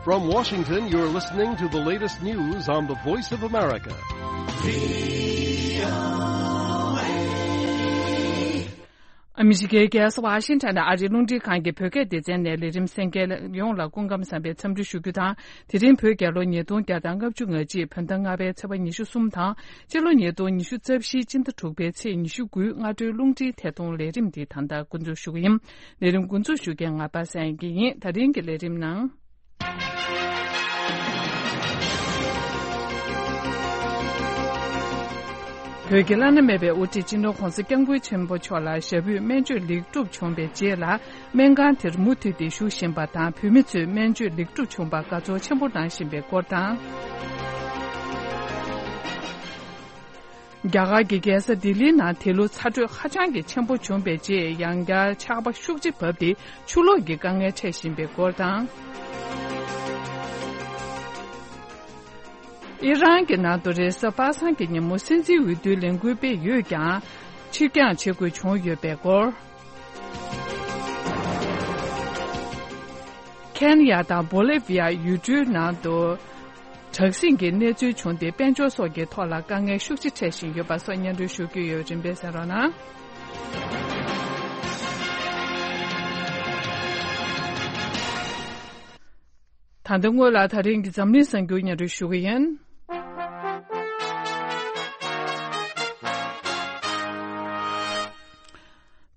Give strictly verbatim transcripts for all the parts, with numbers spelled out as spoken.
From Washington, you're listening to the latest news on the Voice of America. ཨ་མི་རི་ཀའི་རྒྱལ་ས་ཝ་ཤིང་ཊོན་ནས་ཨ་རིའི་རླུང་འཕྲིན་ཁང་གི་བོད་སྐད་སྡེ་ཚན་ནས་ལས་རིམ་གསན་མཁན་ཡོངས་ལ་སྐུ་ཁམས་བཟང་པའི་འཚམས་འདྲི་ཞུ་རྒྱུ་དང་། དེ་རིང་བོད་རྒྱལ་ལོ་ཉིས་སྟོང་བརྒྱ་དང་ལྔ་བཅུ་ང་གཅིག་བོད་ཟླ་ལྔ་པའི་ཚེས་པ་ཉི་ཤུ་གསུམ་དང་། སྤྱི་ལོ་ཉིས་སྟོང་ཉི་ཤུ་རྩ་བཞིའི་སྤྱི་ཟླ་དྲུག་པའི་ཚེས་ཉི་ཤུ་དགུའི་སྔ་དྲོའི་རླུང་འཕྲིན་ཐད་གཏོང་ལས་རིམ་འདི་ད་ལྟ་འགོ་འཛུགས་ཞུ་གི་ཡིན། ལས་རིམ་འགོ་འཛུགས་ཞུ་མཁན་ང་པ་སངས་སྐྱིད་ཡིན། ད་རིང་གི་ལས་རིམ་ནང་། བོད་ཀྱི་བླ་ན་མེད་པའི་དབུ་ཁྲིད་སྤྱི་ནོར་༧གོང་ས་༧སྐྱབས་མགོན་ཆེན་པོ་མཆོག་ལ་ཞབས་པུས་སྨན་བཅོས་ལེགས་གྲུབ་བྱུང་བའི་རྗེས་ལ། སྨན་ཁང་དེར་མུ་མཐུད་དེ་བཞུགས་བཞིན་པ་དང་། བོད་མི་ཚོས་སྨན་བཅོས་ལེགས་གྲུབ་བྱུང་པར་དགའ་ཚོར་ཆེན་པོ་གནང་བཞིན་པའི་སྐོར་དང་། རྒྱ་གར་གྱི་རྒྱལ་ས་ལྡི་ལིའི་ནང་དེ་ལོ་ཚ་དྲོད་ཧ་ཅང་གི་ཆེན་པོ་བྱུང་བའི་རྗེས། ཡང་བསྐྱར་ཆར་པ་ཤུགས་ཆེ་བབས་ཏེ་ཆུ་ལོག་གི་དཀའ་ངལ་འཕྲད་བཞིན་པའི་སྐོར་དང་། ཨི་རན་གྱི་ནང་དུ་རེས་གཟའ་པ་སངས་ཀྱི་ཉིན་མོ་སྲིད་འཛིན་འོས་བསྡུའི་ལས་འགུལ་སྤེལ་ཡོད་ཀྱང་། ཕྱིར་འགྱངས་བྱེད་དགོས་བྱུང་ཡོད་པའི་སྐོར། ཁེན་ཡ་དང་བོ་ལི་བི་ཡ་ཡུལ་གྲུའི་ནང་དུ་དྲག་ཟིང་གི་གནས་ཚུལ་བྱུང་སྟེ། དཔལ་འབྱོར་སོགས་ཀྱི་ཐོག་ལ་དཀའ་ངལ་ཤུགས་ཆེ་འཕྲད་བཞིན་ཡོད་པ་སོགས་སྙན་སྒྲོན་ཞུ་རྒྱུ་ཡོད། རིམ་པས་གསན་རོགས་གནང་། ད་ལྟ་སྔོན་ལ་ད་རིང་གི་འཛམ་གླིང་གསར་འགྱུར་སྙན་སྒྲོན་ཞུ་གི་ཡིན།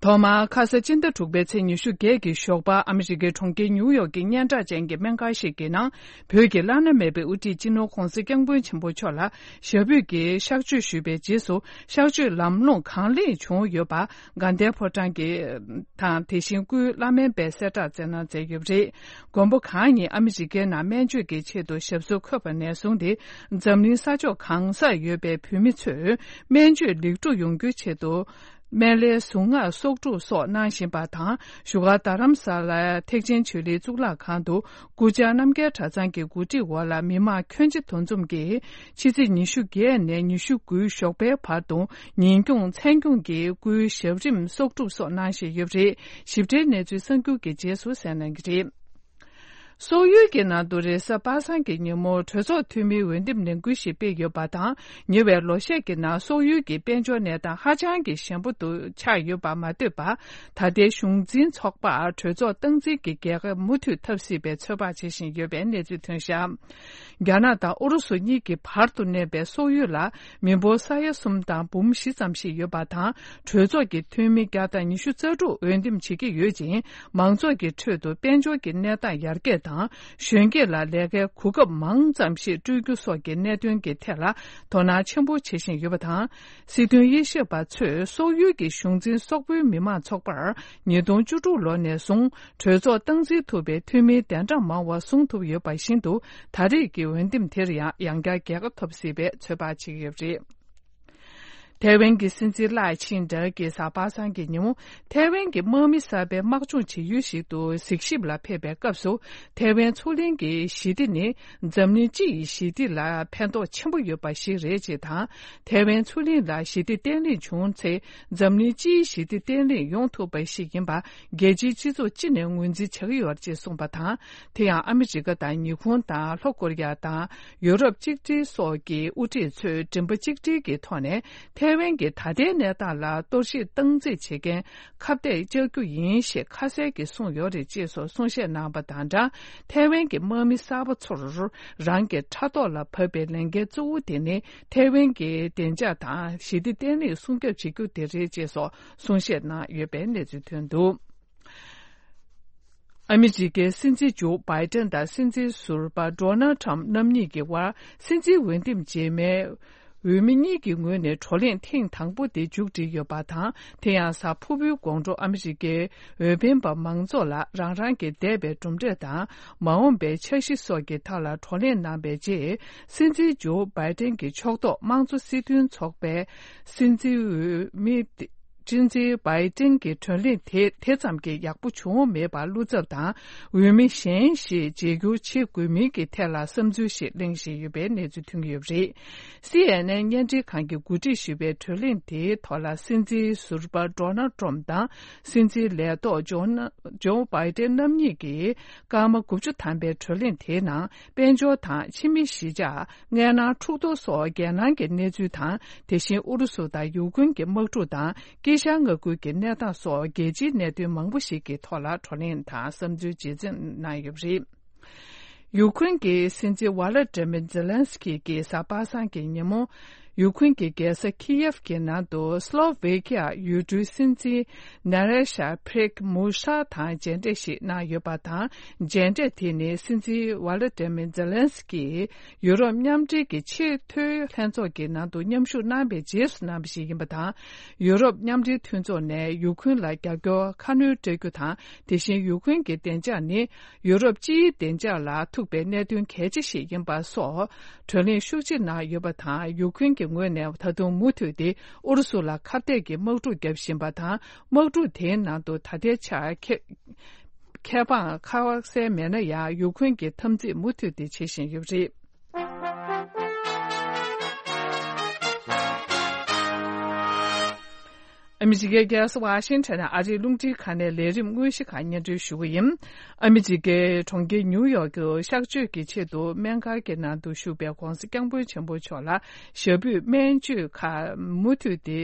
ཐོག་མར་ཁ་ས་སྤྱི་ཟླ་དྲུག་པའི་ཚེས་ཉི་ཤུ་བརྒྱད་ཀྱི་ཞོགས་པ། ཨ་མི་རི་ཀའི་གྲོང་ཁྱེར་ཉིའུ་ཡོག་གི་སྙན་གྲགས་ཅན་གྱི་སྨན་ཁང་ཞིག་གི་ནང་། བོད་ཀྱི་བླ་ན་མེད་པའི་དབུ་ཁྲིད་སྤྱི་ནོར་༧གོང་ས་༧སྐྱབས་མགོན་ཆེན་པོ་མཆོག་ལ་ཞབས་པུས་ཀྱི་གཤགས་བཅོས་ཞུས་པའི་རྗེས་སུ། གཤགས་བཅོས་ལམ་ལྷོང་གང་ལེགས་བྱུང་ཡོད་པ། དགའ་ལྡན་ཕོ་བྲང་གི་དང་། དེ་བཞིན་སྐུའི་བླ་སྨན་པས་གསལ་བསྒྲགས་སྩལ་གནང་མཛད་ཡོད་པ་རེད། མགོན་པོ་གང་ཉིད་ཨ་མི་རི་ཀའི་ནང་སྨན་བཅོས་ཀྱི་ཆེད་དུ་ཞབས་སོར་འཁོད་པ་ནས་བཟུང་སྟེ། འཛམ་གླིང་ས་ཕྱོགས་གང་སར་ཡོད་པའི་བོད་མི་ཚོས་སྨན་བཅོས་ལེགས་གྲུབ་ཡོང་རྒྱུའི་ཆེད་དུ། སྨན་བླའི་གཟུངས་སྔགས་གསོག་སྒྲུབ་སོགས་གནང་བཞིན་པ་དང་། བཞུགས་སྒར་རྡ་རམ་ས་ལའི་ཐེག་ཆེན་ཆོས་གླིང་གཙུག་ལག་ཁང་དུ། སྐུ་བཅར་རྣམ་རྒྱལ་གྲྭ་ཚང་གི་གོ་སྒྲིག་འོག་ལ། མི་མང་ཁྱོན་ཆེ་འདུ་འཛོམས་ཀྱིས་ཕྱི་ཚེས་ཉི་ཤུ་བརྒྱད་ནས་ཉི་ཤུ་དགུའི་ཞོགས་པའི་བར་དུ། ཉིན་སྐྱོང་མཚན་སྐྱོང་གིས་སྐུའི་ཞབས་རིམ་གསོག་སྒྲུབ་སོགས་གནང་བཞིན་ཡོད་པ་རེད། ཞིབ་ཕྲའི་གནས་ཚུལ་གསར་འགྱུར་གྱི་རྗེས་སུ་གསན་གནང་གི་རེད། སོག་ཡུལ་གྱི་ནང་དུ་རེས་གཟའ་པ་སངས་ཀྱི་ཉིན་མོ་གྲོས་ཚོགས་འཐུས་མིའི་འོས་འདེམས་ལས་འགུལ་ཞིག་སྤེལ་ཡོད་པ་དང་། ཉེ་བའི་ལོ་ཤས་ཀྱི་ནང་སོག་ཡུལ་གྱི་དཔལ་འབྱོར་གནས་སྟངས་ཧ་ཅང་གི་ཞན་པོ་དུ་ཆགས་ཡོད་པ་མ་ལྟོས་པར། ད་ལྟའི་གཞུང་འཛིན་ཚོགས་པར་གྲོས་ཚོགས་སྟངས་འཛིན་གྱི་རྒྱལ་ཁ་མུ་མཐུད་ཐོབ་སྲིད་པའི་ཚོད་དཔག་བྱེད་བཞིན་ཡོད་པའི་གནས་ཚུལ་ཐོན་བཞག་རྒྱ་ནག་དང་ཨུ་རུ་སུ་གཉིས་ཀྱི་བར་དུ་གནས་པའི་སོག་ཡུལ་ལ། མི་འབོར་ས་ཡ་གསུམ་དང་འབུམ་བཞི་ཙམ་ཞིག་ཡོད་པ་དང་། གྲོས་ཚོགས་ཀྱི་འཐུས་མི་བརྒྱ་དང་ཉི་ཤུ་རྩ་དྲུག་འོས་འདེམས་བྱེད་ཀྱི་ཡོད་ཅིང་། མང་ཚོགས་ཀྱི་ཁྲོད་དུ་དཔལ་འབྱོར་གྱི་གནས་སྟངས་ཡར་རྒྱས་དང་། གཞོན་སྐྱེས་ལ་ལས་ཀའི་གོ་སྐབས་མང་ཙམ་ཞིག་སྤྲོད་རྒྱུ་སོགས་ཀྱི་གནད་དོན་གྱི་ཐད་ལ་དོ་སྣང་ཆེན་པོ་བྱེད་བཞིན་ཡོད་པ་དང་། སྲིད་དོན་དབྱེ་ཞིབ་པ་ཚོས་སོག་ཡུལ་གྱི་གཞུང་འཛིན་སོག་པོའི་མི་མང་ཚོགས་པར་ཉིས་སྟོང་བཅུ་དྲུག་ལོ་ནས་བཟུང་གྲོས་ཚོགས་སྟངས་འཛིན་ཐུབ་པའི་འཐུས་མིའི་གདན་གྲངས་མང་བ་བཟུང་ཐུབ་ཡོད་པ་བཞིན་དུ། ད་རེས་ཀྱི་འོས་འདེམས་དེར་ཡང་ཡང་བསྐྱར་རྒྱལ་ཁ་ཐོབ་སྲིད་པའི་ཚོད་དཔག་བྱེད་ཀྱི་ཡོད་པ་རེད། ཐའེ་ཝན་གྱི་སྲིད་འཛིན་ལའེ་ཆིང་ཏེ་གིས་གཟའ་པ་སངས་ཀྱི་ཉིན་མོ། ཐའེ་ཝན་གྱི་དམག་མི་གསར་པའི་དམག་སྦྱོང་བྱེད་ཡུལ་ཞིག་ཏུ་གཟིགས་ཞིབ་ལ་ཕེབས་པའི་སྐབས་སུ། ཐའེ་ཝན་མཚོ་གླིང་གི་ཞི་བདེ་ནི་འཛམ་གླིང་སྤྱི་ཡི་ཞི་བདེ་ལ་ཕན་ཐོགས་ཆེན་པོ་ཡོད་པ་ཞིག་རེད་ཅེས་དང་། ཐའེ་ཝན་མཚོ་གླིང་ལ་ཞི་བདེ་བརྟན་ལྷིང་བྱུང་ཚེ། འཛམ་གླིང་སྤྱིའི་ཞི་བདེ་བརྟན་ལྷིང་ཡོང་ཐུབ་པ་ཞིག་ཡིན་པ། རྒྱལ་སྤྱིའི་སྤྱི་ཚོགས་སྤྱི་ནས་ངོས་འཛིན་བྱ་གི་ཡོད་ཅེས་གསུངས་པ་དང་། དེ་ཡང་ཨ་མི་རི་ཀ་དང་ཉི་ཧོང་དང་ལྷོ་ཀོ་རི་ཡ་དང་ཡུ་རོབ་གཅིག་སྒྲིལ་སོགས་ཀྱི་དབུ་ཁྲིད་ཚོས་མགྲིན་པ་གཅིག་སྒྲིལ་གྱི་ཐོག་ནས་ཐའེ་ཝན་གྱི་ད་ལྟའི་གནས་སྟངས་ལ་གཏོར་བཤིག་སྟངས་འཛིན་བྱེད་མཁན་ཁ་གཏད་བཅག་རྒྱུ་ཡིན་ཞེས་ཁ་གསལ་གྱིས་གསུངས་ཡོད་རེད་ཅེས་སོགས་གསུང་བཤད་གནང་བ་དང་སྦྲགས། ཐའེ་ཝན་གྱི་དམག་མི་གསར་པ་ཚོར་རང་གི་ཕྲག་ཐོག་ལ་བབས་པའི་ལས་འགན་གཙོ་བོ་དེ་ནི་ཐའེ་ཝན་གྱི་བདེ་འཇགས་དང་ཞི་བདེ་བརྟན་ལྷིང་སྲུང་སྐྱོབ་བྱེད་རྒྱུ་དེ་རེད་ཅེས་སོགས་གསུང་བཤད་གནང་ཡོད་པའི་གནས་ཚུལ་ཐོན་འདུག་ཨ་མི་རི་ཀའི་སྲིད་འཛིན་ཇོ་བྷའི་ཏན་དང་སྲིད་འཛིན་ཟུར་པ་ཌོ་ནལ་ཁྲམ་རྣམ་གཉིས་ཀྱི་དབར་སྲིད་འཛིན་འོས་འདེམས་རྗེས་མའི་འོས་མི་གཉིས་ཀྱི་ངོས་ནས་བགྲོ་གླེང་ཐེངས་དང་པོ་དེ་མཇུག་སྒྲིལ་ཡོད་པ་དང་། དེ་ཡང་གཟའ་ཕུར་བུའི་དགོང་དྲོ་ཨ་མི་རི་ཀའི་འོས་འཕེན་པ་མང་ཚོགས་ལ་རང་རང་གི་འདས་པའི་གྲུབ་འབྲས་དང་མ་འོངས་པའི་འཆར་གཞི་སོགས་ཀྱི་ཐད་ལ་བགྲོ་གླེང་གནང་བའི་རྗེས། སྲིད་འཛིན་ཇོ་བྷའི་ཏན་གྱི་ཕྱོགས་གཏོགས་དམངས་གཙོ་སྲིད་དོན་ཚོགས་པའི་སྲིད་འཛིན་འོས་མི། སྲིད་འཛིན་བྷའི་ཏིན་གྱི་གྲོས་གླེང་དེ་དེ་ཙམ་གྱིས་ཡག་པོ་བྱུང་མེད་པར་བློ་འཚབ་དང་འོས་མི་གཞན་ཞིག་བརྗེ་བསྒྱུར་བྱེད་དགོས་མིན་གྱི་ཐད་ལ་བསམ་ཚུལ་ཞིག་གླེང་བཞིན་ཡོད་པའི་གནས་ཚུལ་ཐོན་གྱི་ཡོད་པ་རེད། སི་ཨེན་ཨེན་བརྙན་འཕྲིན་ཁང་གིས་གོ་སྒྲིག་ཞུས་པའི་གྲོས་གླེང་དེའི་ཐོག་ལ་སྲིད་འཛིན་ཟུར་པ་ཌོ་ནལ་ཏྲམ་དང་སྲིད་འཛིན་ལས་ཐོག་ཇོ་ན་ཇོ་བྷའི་ཏན་རྣམ་གཉིས་ཀྱིས་སྐར་མ་དགུ་བཅུ་ཐམ་པའི་གྲོས་གླེང་དེའི་ནང་དཔལ་འབྱོར་དང་ཕྱི་མི་གཞིས་ཆགས། མངལ་ནང་འཁྲུག་གཏོར་སོགས་རྒྱལ་ནང་གི་གནས་ཚུལ་དང་། དེ་བཞིན་ཨུ་རུ་སུ་དང་ཡུཀ་རེན་གྱི་དམག་འཁྲུག་དང་དཀྱིལ་ཤར་མངའ་ཁུལ་གྱི་གནས་སྟངས་སོགས་རྒྱལ་སྤྱིའི་གནད་དོན་མང་པོ་ཞིག་གི་ཐོག་ལ་བགྲོ་གླེང་དང་བསམ་ཚུལ་གཅེས་འཛིན་གནང་ཡོད་པ་རེད། ཡུཀ་རེན་གྱི་སྲིད་འཛིན་ཝ་ལ་ཏྲེ་མི་ཛེ་ལན་སི་ཀི་གིས་གཟའ་པ་སངས་ཀྱི་ཉིན་མོ། ཡུཀ་རེན་གྱི་རྒྱལ་ས་ཁི་ཡེབ་ཀྱི་ནང་དུ་སློ་ཝེ་ཁི་ཡ་ཡུལ་གྲུའི་སྲིད་འཛིན་ནེ་རེ་ཤ་ཕྲེག་མུ་ཤ་དང་མཇལ་འཕྲད་ཞིག་གནང་ཡོད་པ་དང་། མཇལ་འཕྲད་དེ་ནི་སྲིད་འཛིན་ཝ་ལ་ཏྲེ་མི་ཛེ་ལན་སི་ཀི་ཡུ་རོབ་མཉམ་འབྲེལ་གྱི་ཆེས་མཐོའི་ལྷན་ཚོགས་ཀྱི་ནང་དུ་མཉམ་ཞུགས་གནང་བའི་རྗེས་སུ་གནང་བ་ཞིག་ཡིན་པ་དང་། ཡུ་རོབ་མཉམ་འབྲེལ་མཐུན་ཚོགས་ནས་ཡུཀ་རེན་ལ་རྒྱབ་སྐྱོར་ཁ་སྣོན་སྤྲད་རྒྱུ་དང་། དེ་བཞིན་ཡུཀ་རེན་གྱི་བདེ་འཇགས་ནི་ཡུ་རོབ་སྤྱིའི་བདེ་འཇགས་ལ་ཐུག་པའི་གནད་དོན་གལ་ཆེ་ཞིག་ཡིན་པ་སོགས་བགྲོ་གླེང་ཤུགས་ཆེ་གནང་ཡོད་པ་དང་། ཡུཀ་རེན་གྱི་ངོས་ནས་ད་དུང་མུ་མཐུད་དེ་ཨུ་རུ་སུ་ལ་ཁ་གཏད་ཀྱི་དམག་འཁྲུག་བརྒྱབ་བཞིན་པ་དང་། དམག་འཁྲུག་དེའི་ནང་དུ་ད་ལྟའི་ཆར་ཁེ་ཁེ་དབང་ཁ་གསལ་མེད་ན་ཡང་ཡུཀ་རེན་གྱིས་འཐབ་འཛིང་མུ་མཐུད་དེ་བྱེད་བཞིན་ཡོད་པ་རེད། ཨ་མི་རི་ཀའི་རྒྱལ་ས་ཝ་ཤིང་ཊོན་ནས་ཨ་རིའི་རླུང་འཕྲིན་ཁང་ནས་ལས་རིམ་དངོས་གཞི་ཁག་སྙན་སྒྲོན་ཞུ་གི་ཡིན། ཨ་མི་རི་ཀའི་གྲོང་ཁྱེར་ཉིའུ་ཡོག་གི་གཤག་བཅོས་ཀྱི་ཆེད་དུ་སྨན་ཁང་གི་ནང་དུ་བཞུགས་པའི་༧གོང་ས་༧སྐྱབས་མགོན་ཆེན་པོ་མཆོག་ལ་ཞབས་པུས་སྨན་བཅོས་ཁག་མུ་མཐུད་དེ།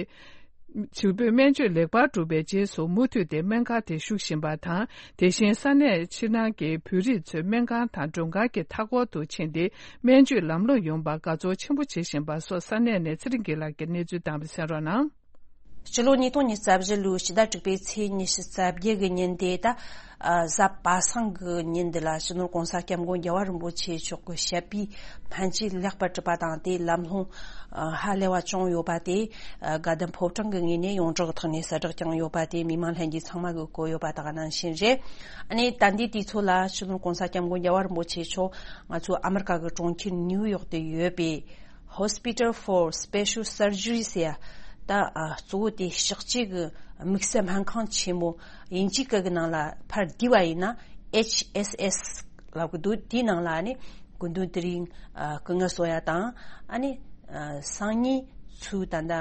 ཞུ་འབོད་སྨན་བཅོས་ལེགས་པར་གྲུབ་པའི་རྗེས་སུ་མུ་མཐུད་དེ་སྨན་ཁང་དེ་བཞུགས་བཞིན་པ་དང་། དེ་བཞིན་ས་གནས་ཕྱི་ནང་གི་བོད་རིགས་ཚོས་སྨན་ཁང་དང་མགྲོན་ཁང་གི་མཐའ་འཁོར་དུ་ཕྱིན་ཏེ་སྨན་བཅོས་ལམ་ལྷོང་ཡོང་བར་དགའ་ཚོར་ཆེན་པོ་བྱེད་བཞིན་པ་སོགས་ས་གནས་ནས་ཚེ་རིང་སྒེར་ལགས་ཀྱིས་གནས་ཚུལ་བཏང་བ་གསན་རོགས་གནང་། སྤྱི་ལོ་ཉིས་སྟོང་ཉི་ཤུ་རྩ་བཞི་ལོའི་ཕྱི་ཟླ་དྲུག་པའི་ཚེས་ཉི་ཤུ་རྩ་བརྒྱད་གི་ཉིན་དེ་ད། ཨ། གཟའ་པ་སངས་གི་ཉིན་འདི་ལ་སྤྱི་ནོར་༧གོང་ས་༧སྐྱབས་མགོན་རྒྱལ་བ་རིན་པོ་ཆེ་མཆོག་གི་ཞབས་པུས་སྨན་བཅོས་ལེགས་པར་གྲུབ་པ་དང་། དེའི་ལམ་ལྷོང་ཧ་ལས་པ་བྱུང་ཡོད་པ་དེ་དགའ་ལྡན་ཕོ་བྲང་གི་ངོས་ནས་ཡོངས་གྲགས་ཐོག་ནས་གསལ་བསྒྲགས་བསྐྱངས་ཡོད་པ་དེ་མི་མང་ལྷན་རྒྱས་ཚང་མ་གིས་གོ་ཡོད་པ་དེ་ག་ནང་བཞིན་རེད། ཨ་ནི་ད་ལྟའི་དུས་ཚོད་ལ་སྤྱི་ནོར་༧གོང་ས་༧སྐྱབས་མགོན་རྒྱལ་བ་རིན་པོ་ཆེ་མཆོག་ང་ཚོ་ཨ་མི་རི་ཀ་གི་གྲོང་ཁྱེར་ནིའུ་ཡོག་ཏུ་ཡོད་པའི་Hospital for Special Surgery ཟེར་ཡ། ད་ཨ་གཙོ་བོ་དེ་གཤག་བཅོས་ཀྱི་དམིགས་བསལ་སྨན་ཁང་ཆེན་མོ། དབྱིན་ཇིའི་སྐད་ཀྱི་ནང་ལ་ཕར་བསྡུས་པ་ཡིན་ན་ཨེཆ་ཨེས་ཨེས་ལབ་ཀྱི་འདུག་དེའི་ནང་ལ་ནི་སྐུ་མདུན་དེ་རིང་ཨ་སྐུ་ངལ་གསོ་ཡ་དང་། ཨ་ནི་ཨ་སང་ཉིན་ཚུར་ད་ལྟ་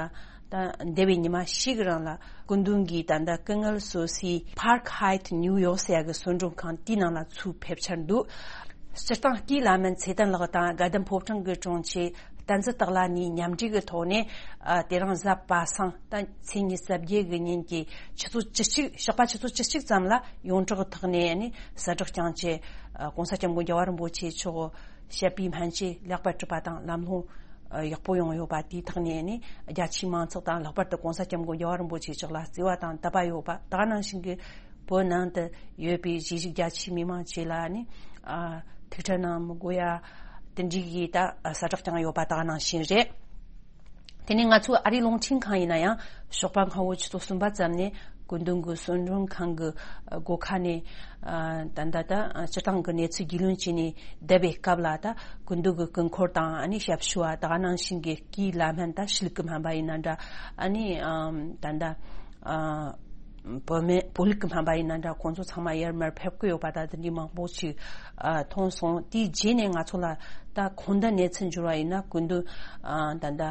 ད་འདས་པའི་ཉི་མ་བཞི་གི་རིང་ལ་སྐུ་མདུན་གྱིས་ད་ལྟ་སྐུ་ངལ་གསོ་སའི་Park Heights New York ཟེར་ཡ་གི་གསོལ་མགྲོན་ཁང་དེའི་ནང་ལ་ཚུར་ཕེབས་འཆར་འདུག་སྤྱིར་བཏང་སྐུའི་བླ་སྨན་ཚེ་བརྟན་ལགས་དང་དགའ་ལྡན་ཕོ་བྲང་གི་དྲུང་ཆེ་བསྟན་འཛིན་སྟག་ལྷ་གཉིས་མཉམ་འབྲེལ་གྱི་ཐོག་ནས། ཨ། དེ་རིང་གཟའ་པ་སངས་ད་ཚེས་ཉི་ཤུ་རྩ་བརྒྱད་གི་ཉིན་གྱི་ཆུ་ཚོད་བཅུ་གཅིག་ཞོགས་པ་ཆུ་ཚོད་བཅུ་གཅིག་ཙམ་ལ་ཡོངས་གྲགས་ཐོག་ནས་ནི་གསལ་བསྒྲགས་བསྐྱངས་བྱས། ཨ། ༸གོང་ས་༸སྐྱབས་མགོན་རྒྱལ་བ་རིན་པོ་ཆེ་མཆོག་ཞབས་པུས་སྨན་བཅོས་ལེགས་པར་གྲུབ་པ་དང་ལམ་ལྷོང་ཡག་པོ་ཡོང་ཡོད་པ་དེའི་ཐོག་ནས་ནི་རྒྱ་ཆེའི་མང་ཚོགས་དང་ལྷག་པར་དུ་༸གོང་ས་༸སྐྱབས་མགོན་རྒྱལ་བ་རིན་པོ་ཆེ་མཆོག་ལ་བརྩེ་བ་དང་དད་པ་ཡོད་པ་དེ་ག་ནང་བཞིན་གྱི། བོད་ནང་དུ་ཡོད་པའི་གཞིས་བྱེས་རྒྱ་ཆེའི་མི་མང་བཅས་ལ་ནི་ཨ་ཐུགས་ཁྲལ་གནང་མི་དགོས་ཡ་དེ་འདྲའི་གི་ད་གསལ་བསྒྲགས་བསྐྱངས་ཡོད་པ་དེ་ག་ནང་བཞིན་རེད། དེ་ནས་ང་ཚོ་ཨ་རིའི་རླུང་འཕྲིན་ཁང་ཡིན་ན་ཡང་ཞོགས་པ་སྔ་བོ་ཆུ་ཚོད་གསུམ་པ་ཙམ་ནས་སྐུ་མདུན་གྱི་གསོལ་མགྲོན་ཁང་གི་སྒོ་ཁ་ནས་ཨ་ད་ད་ད་སྤྱིར་བཏང་གི་གནས་ཚུལ་རྒྱུས་ལོན་བྱས་ནས་བསྡད་པའི་སྐབས་ལ། ད་སྐུ་མདུན་གྱི་སྐུ་འཁོར་དང་ཨ་ནི་ཞབས་ཞུ་བ་དེ་ག་ནང་བཞིན་གྱི་སྐུའི་བླ་སྨན་ད་ཤེས་རིག་གི་སྨན་པ་ཡིན་ན་འདྲ། ཨ་ནི་ཨ་ད་ད་ཨ། བོད་སྨན་བོད་ལུགས་ཀྱི་སྨན་པ་ཡིན་ན་འདྲ། ཁོང་ཚོ་ཚང་མ་ཡར་མར་ཕེབས་ཀྱི་ཡོད་པ་དང་དེ་འདྲའི་མང་པོ་ཞིག་ཨ་མཐོང་སོང་། དེའི་རྗེས་ནས་ང་ཚོ་ལ་ད་གོང་ད་གནས་ཚུལ་འབྱོར་བ་ཡིན་ན། སྐུ་མདུན་ཨ་ད་ད་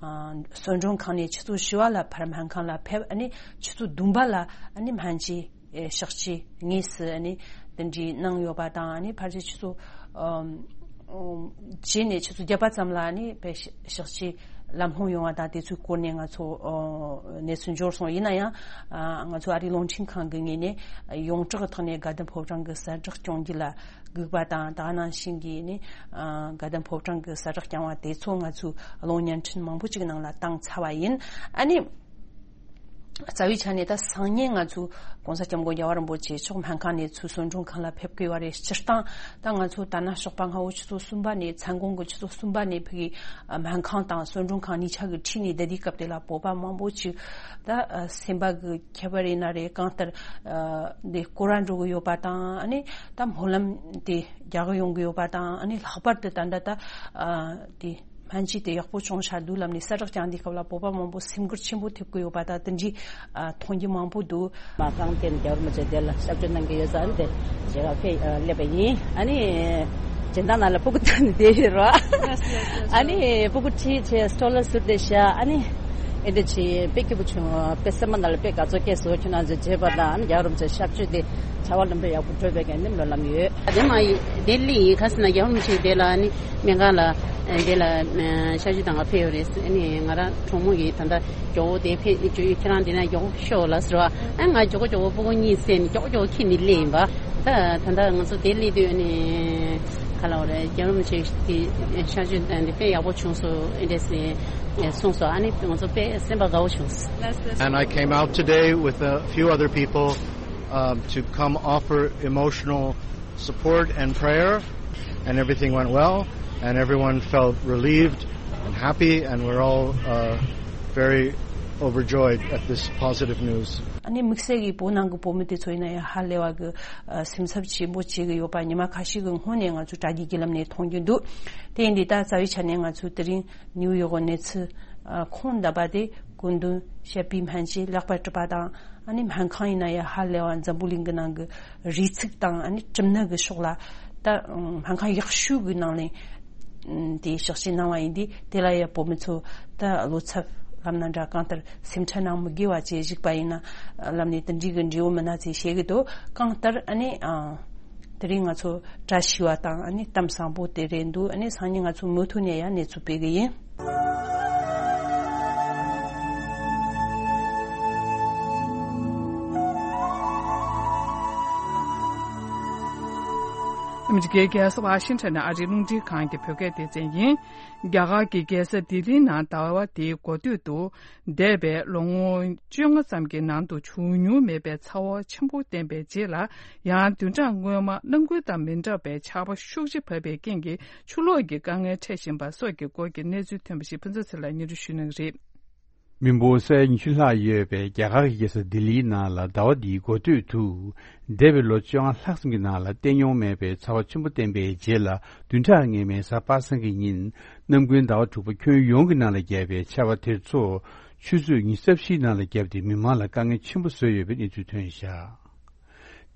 ཨ་གསོལ་མགྲོན་ཁང་ནས་ཆུ་ཚོད་བཞི་པ་ལ་ཕར་སྨན་ཁང་ལ་ཕེབས། ཨ་ནི་ཆུ་ཚོད་བདུན་པ་ལ་ཨ་ནི་སྨན་བཅོས་ཨེ་གཤག་བཅོས་དངོས་སུ་ཨ་ནི་དེ་འདྲའི་གནང་ཡོད་པ་དང་། ཨ་ནི་ཕལ་ཆེར་ཆུ་ཚོད་ཨ་རྗེས་ནས་ཆུ་ཚོད་བརྒྱད་པ་ཙམ་ལ་ནི་དཔེ་གཤག་བཅོས་ལམ་ལྷོང་ཡོང་བ་དང་དེ་ཚོའི་སྐོར་ནས་ང་ཚོ་ཨ་གནས་ཚུལ་འབྱོར་སོང་། ཡིན་ན་ཡང་ཨ་ང་ཚོ་ཨ་རིའི་རླུང་འཕྲིན་ཁང་གི་ངོས་ནས་ཡོངས་གྲགས་ཐོག་ནས་དགའ་ལྡན་ཕོ་བྲང་གི་གསལ་བསྒྲགས་སྐྱོང་རྒྱུ་ལ་སྒུག་པ་དང་། དེ་ག་ནང་བཞིན་གྱི་ནི་ཨ་དགའ་ལྡན་ཕོ་བྲང་གི་གསལ་བསྒྲགས་བསྐྱངས་པ་དེ་ཚོ་ང་ཚོའི་གློག་བརྙན་འཕྲིན་མང་པོ་ཅིག་ནང་ལ་བཏང་ཚར་བ་ཡིན། ཨ་ནི། རྩ་བའི་ཆ་ནས་ད་སང་ཉིན་ང་ཚོ་༸གོང་ས་༸སྐྱབས་མགོན་རྒྱལ་བ་རིན་པོ་ཆེ་མཆོག་སྨན་ཁང་ནས་ཚུར་གསོལ་མགྲོན་ཁང་ལ་ཕེབས་ཀྱི་ཡོད་རེད། སྤྱིར་བཏང་ད་ང་ཚོ་ད་ནངས་ཞོགས་པ་སྔ་བོ་ཆུ་ཚོད་གསུམ་པ་ནས། མཚན་གུང་གི་ཆུ་ཚོད་གསུམ་པ་ནས་ཕ་གི་སྨན་ཁང་དང་གསོལ་མགྲོན་ཁང་གཉིས་ཆ་གི་འཁྲིས་ནས་བསྡད་དུས་སྐབས་དེ་ལ་བོད་པ་མང་པོ་ཅིག་ད་སེམས་པ་གི་ཁྱད་པར་ཡིན་ན་རེད། གང་ལྟར་འདི་སྐོར་ར་འགྲོ་གི་ཡོད་པ་དང་། ཨ་ནི་ད་སྨོན་ལམ་དེ་རྒྱག་གི་ཡོང་གི་ཡོད་པ་དང་། ཨ་ནི་ལྷག་པར་དུ་ད་ལྟ་ད་དེ། སྨན་བཅོས་དེ་ཡག་པོ་བྱུང་ཤག་འདུག་ལབ་ནས་གསལ་བསྒྲགས་བསྐྱངས་དུས་སྐབས་ལ་བོད་པ་མང་པོ་སེམས་འགུལ་ཆེན་པོ་ཐེབས་ཀྱི་ཡོད་པ་དང་། དེ་འདྲའི་ཨ་མཐོང་རྒྱུ་མང་པོ་འདུག་མ་རྐང་རྟེན་རྒྱལ་བ་རིན་པོ་ཆེ་དེ་ལ་ཞབས་ཕྱི་གནང་གི་ཡོད་ས་རེད་དེ། རྗེས་ཁ་ཕེབས་ཨ་སླེབས་པ་ཡིན། ཨ་ནི་སྦྱིན་བདག་ནང་ལ་སྤུ་གུ་བཏོན་ནས་བསྡད་ཡོད་རོ། ཨ་ནི་སྤུ་གུ་ཁྲིད་བྱས་སྤྲོ་ལ་ཟུར་བསྡད་ཤག་ཨ་ནི་ཨེ་འདྲ་བྱས་དཔེ་སྐྱིད་པོ་བྱུང་། དཔེ་སེམས་པ་ནང་ལ་དཔེ་དགའ་ཚོར་སྐྱེས་སོང་། ཁྱོད་རང་ཚོའི་བྱས་པ་དང་ཨ་ནི་རྒྱལ་བ་རིན་པོ་ཆེ་ཞབས་ཕྱི་དེ་བྱ་བ་ལམ་འགྲོ་ཡག་པོ་འགྲོ་བའི་གི་ཨ་ནི་སྨོན་ལམ་ཡོད། དེ་མ་ཡིན་ལྡི་ལི་ཡིན། ག་ཟེར་ན་རྒྱལ་བ་རིན་པོ་ཆེ་དེ་ལ་ཨ་ནི་སྨན་ཁང་ལ་དེ་ལ་ཨ་ཞབས་ཕྱི་གནང་ག་ཕེབས་ཡོད་རེད། ཨ་ནི་ང་རང་གྲོགས་མོ་གིས་ད་ལྟ་མགྱོགས་པོ་དེ་ཕེབས་ཁྱེད་རང་དེ་ན་མགྱོགས་པོ་ཤོག་ལབ་ཟེར་བ། ཨ་ང་མགྱོགས་པོ་མགྱོགས་པོ་སྤུ་གུ་གཉིས་བསད་ནས་མགྱོགས་པོ་མགྱོགས་པོ་ཁྱེར་ནས་སླེབས་ཡིན་པ། ད་ད་ལྟ་ང་ཚོ་དེ་སླེབས་དུས་ཨ་ནི་ག་ལབ་རེད། རྒྱལ་བ་རིན་པོ་ཆེ་གི་ཞབས་ཕྱི་དེ་དཔེ་ཡག་པོ་བྱུང་སོང་ཨེ་འདྲས་གསུངས་སོང་། ཨ་ནི་ང་ཚོ་དཔེ་སེམས་པ་དགའ་བོ་བྱུང་སོང་། And I came out today with a few other people, um, to come offer emotional support and prayer, and everything went well, and everyone felt relieved and happy, and we're all, uh, very overjoyed at this positive news. ཨ་ནི་དམིགས་བསལ་གྱིས་བོད་ནང་གི་བོད་མི་དེ་ཚོ་ཡིན་ན་ཡང་ཧ་ལས་པ་གི་ཨ་སེམས་འཚབ་ཆེན་པོ་བྱེད་ཀྱི་ཡོད་པ་ཉི་མ་ཁ་ཤས་ཀྱི་སྔོན་ནས་ང་ཚོས་དྲ་རྒྱའི་བརྒྱུད་ལམ་ནས་མཐོང་རྒྱུ་འདུག་དེ་ཡིན་དུས་ད་རྩ་བའི་ཆ་ནས་ང་ཚོས་དེ་རིང་ནིའུ་ཡོག་གི་གནས་ཚུལ་ཨ་ཁོང་ལྡབ་པ་དེ་སྐུ་མདུན་བཤད་པའི་སྨན་བཅོས་ལེགས་པར་གྲུབ་པ་དང་། ཨ་ནི་སྨན་ཁང་ཡིན་ན་ཡང་ཧ་ལས་པ་འཛམ་བུ་གླིང་གི་ནང་གི་རིགས་ཚུགས་དང་ཨ་ནི་གྲུབ་ནད་གི་ཕྱོགས་ལ་ད་སྨན་ཁང་ཡག་ཤོས་གི་ནང་ལས་དེ་ཕྱག་བྱས་གནང་བ་ཡིན་དུས། དེ་ལ་ཡང་བོད་མི་ཚོ་ད་བློ་འཚབ་ལབ་ན་འདྲ། གང་ལྟར་སེམས་ཁྲལ་གནང་མི་དགོས་པ་བྱས་བཞུགས་པ་ཡིན་ན་ལབ་ནས་དེ་འདྲའི་གི་འབྲས་བུ་མི་སྣ་ཚོས་བཤད་གི་འདུག་གང་ལྟར་ཨ་ནི་ཨ་དེ་རིང་ང་ཚོ་བཀྲ་ཤིས་པ་དང་ཨ་ནི་གཏམ་བཟང་པོ་དེ་རེད་འདུག་ཨ་ནི་སང་ཉིན་ང་ཚོ་མུ་མཐུད་ནས་ཡང་གནས་ཚུལ་སྤེལ་གི་ཡིན། ཨ་མི་རི་ཀའི་རྒྱལ་ས་ཝ་ཤིང་ཊོན་ནས་ཨ་རིའི་རླུང་འཕྲིན་ཁང་གི་བོད་སྐད་སྡེ་ཚན་ཡིན། རྒྱ་གར་གྱི་རྒྱལ་ས་ལྡི་ལིའི་ནང་ཟླ་བ་འདིའི་འགོ་སྟོད་དུ། འདས་པའི་ལོ་ངོ་བཅོ་ལྔ་ཙམ་གྱི་ནང་དུ་བྱུང་མྱོང་མེད་པའི་ཚ་བ་ཆེན་པོ་བསྟན་པའི་རྗེས་ལ། ཡང་བདུན་ཕྲག་སྔོན་མ་གནམ་དགུན་དང་མི་འདྲ་བའི་ཆར་པ་ཤུགས་ཆེ་བབས་པའི་རྐྱེན་གྱིས་ཆུ་ལོག་གི་དཀའ་ངལ་འཕྲད་བཞིན་པ་སོགས་ཀྱི་སྐོར་གྱི་གནས་ཚུལ་ཐོན་པ་ཞིག་ཕུན་ཚོགས་ཚེ་ལགས་སྙན་སྒྲོན་ཞུ་གནང་གི་རེད། མི་འབོར་ས་ཡ་ཉི་ཤུ་ལྷག་ཡོད་པའི་རྒྱ་གར་གྱི་རྒྱལ་ས་ལྡི་ལིའི་ནང་ལ་ཟླ་བ་འདིའི་འགོ་སྟོད་དུ། འདས་པའི་ལོ་བཅོ་ལྔ་ལྷག་ཙམ་གྱི་ནང་ལ་བསྟན་མྱོང་མེད་པའི་ཚ་བ་ཆེན་པོ་བསྟན་པའི་རྗེས་ལ། བདུན་ཕྲག་སྔོན་མའི་གཟའ་པ་སངས་ཀྱི་ཉིན། གནམ་དགུན་ཟླ་བ་དྲུག་པ་ཁྱོན་ཡོངས་ཀྱི་ནང་ལ་བརྒྱབ་པའི་ཆར་པ་དེ་ཚོ། ཆུ་ཚོད་ཉི་ཤུ་རྩ་བཞིའི་ནང་ལ་བརྒྱབ་སྟེ་མི་མང་ལ་དཀའ་ངལ་ཆེན་པོ་བཟོས་ཡོད་པའི་གནས་ཚུལ་ཐོན་བཞག་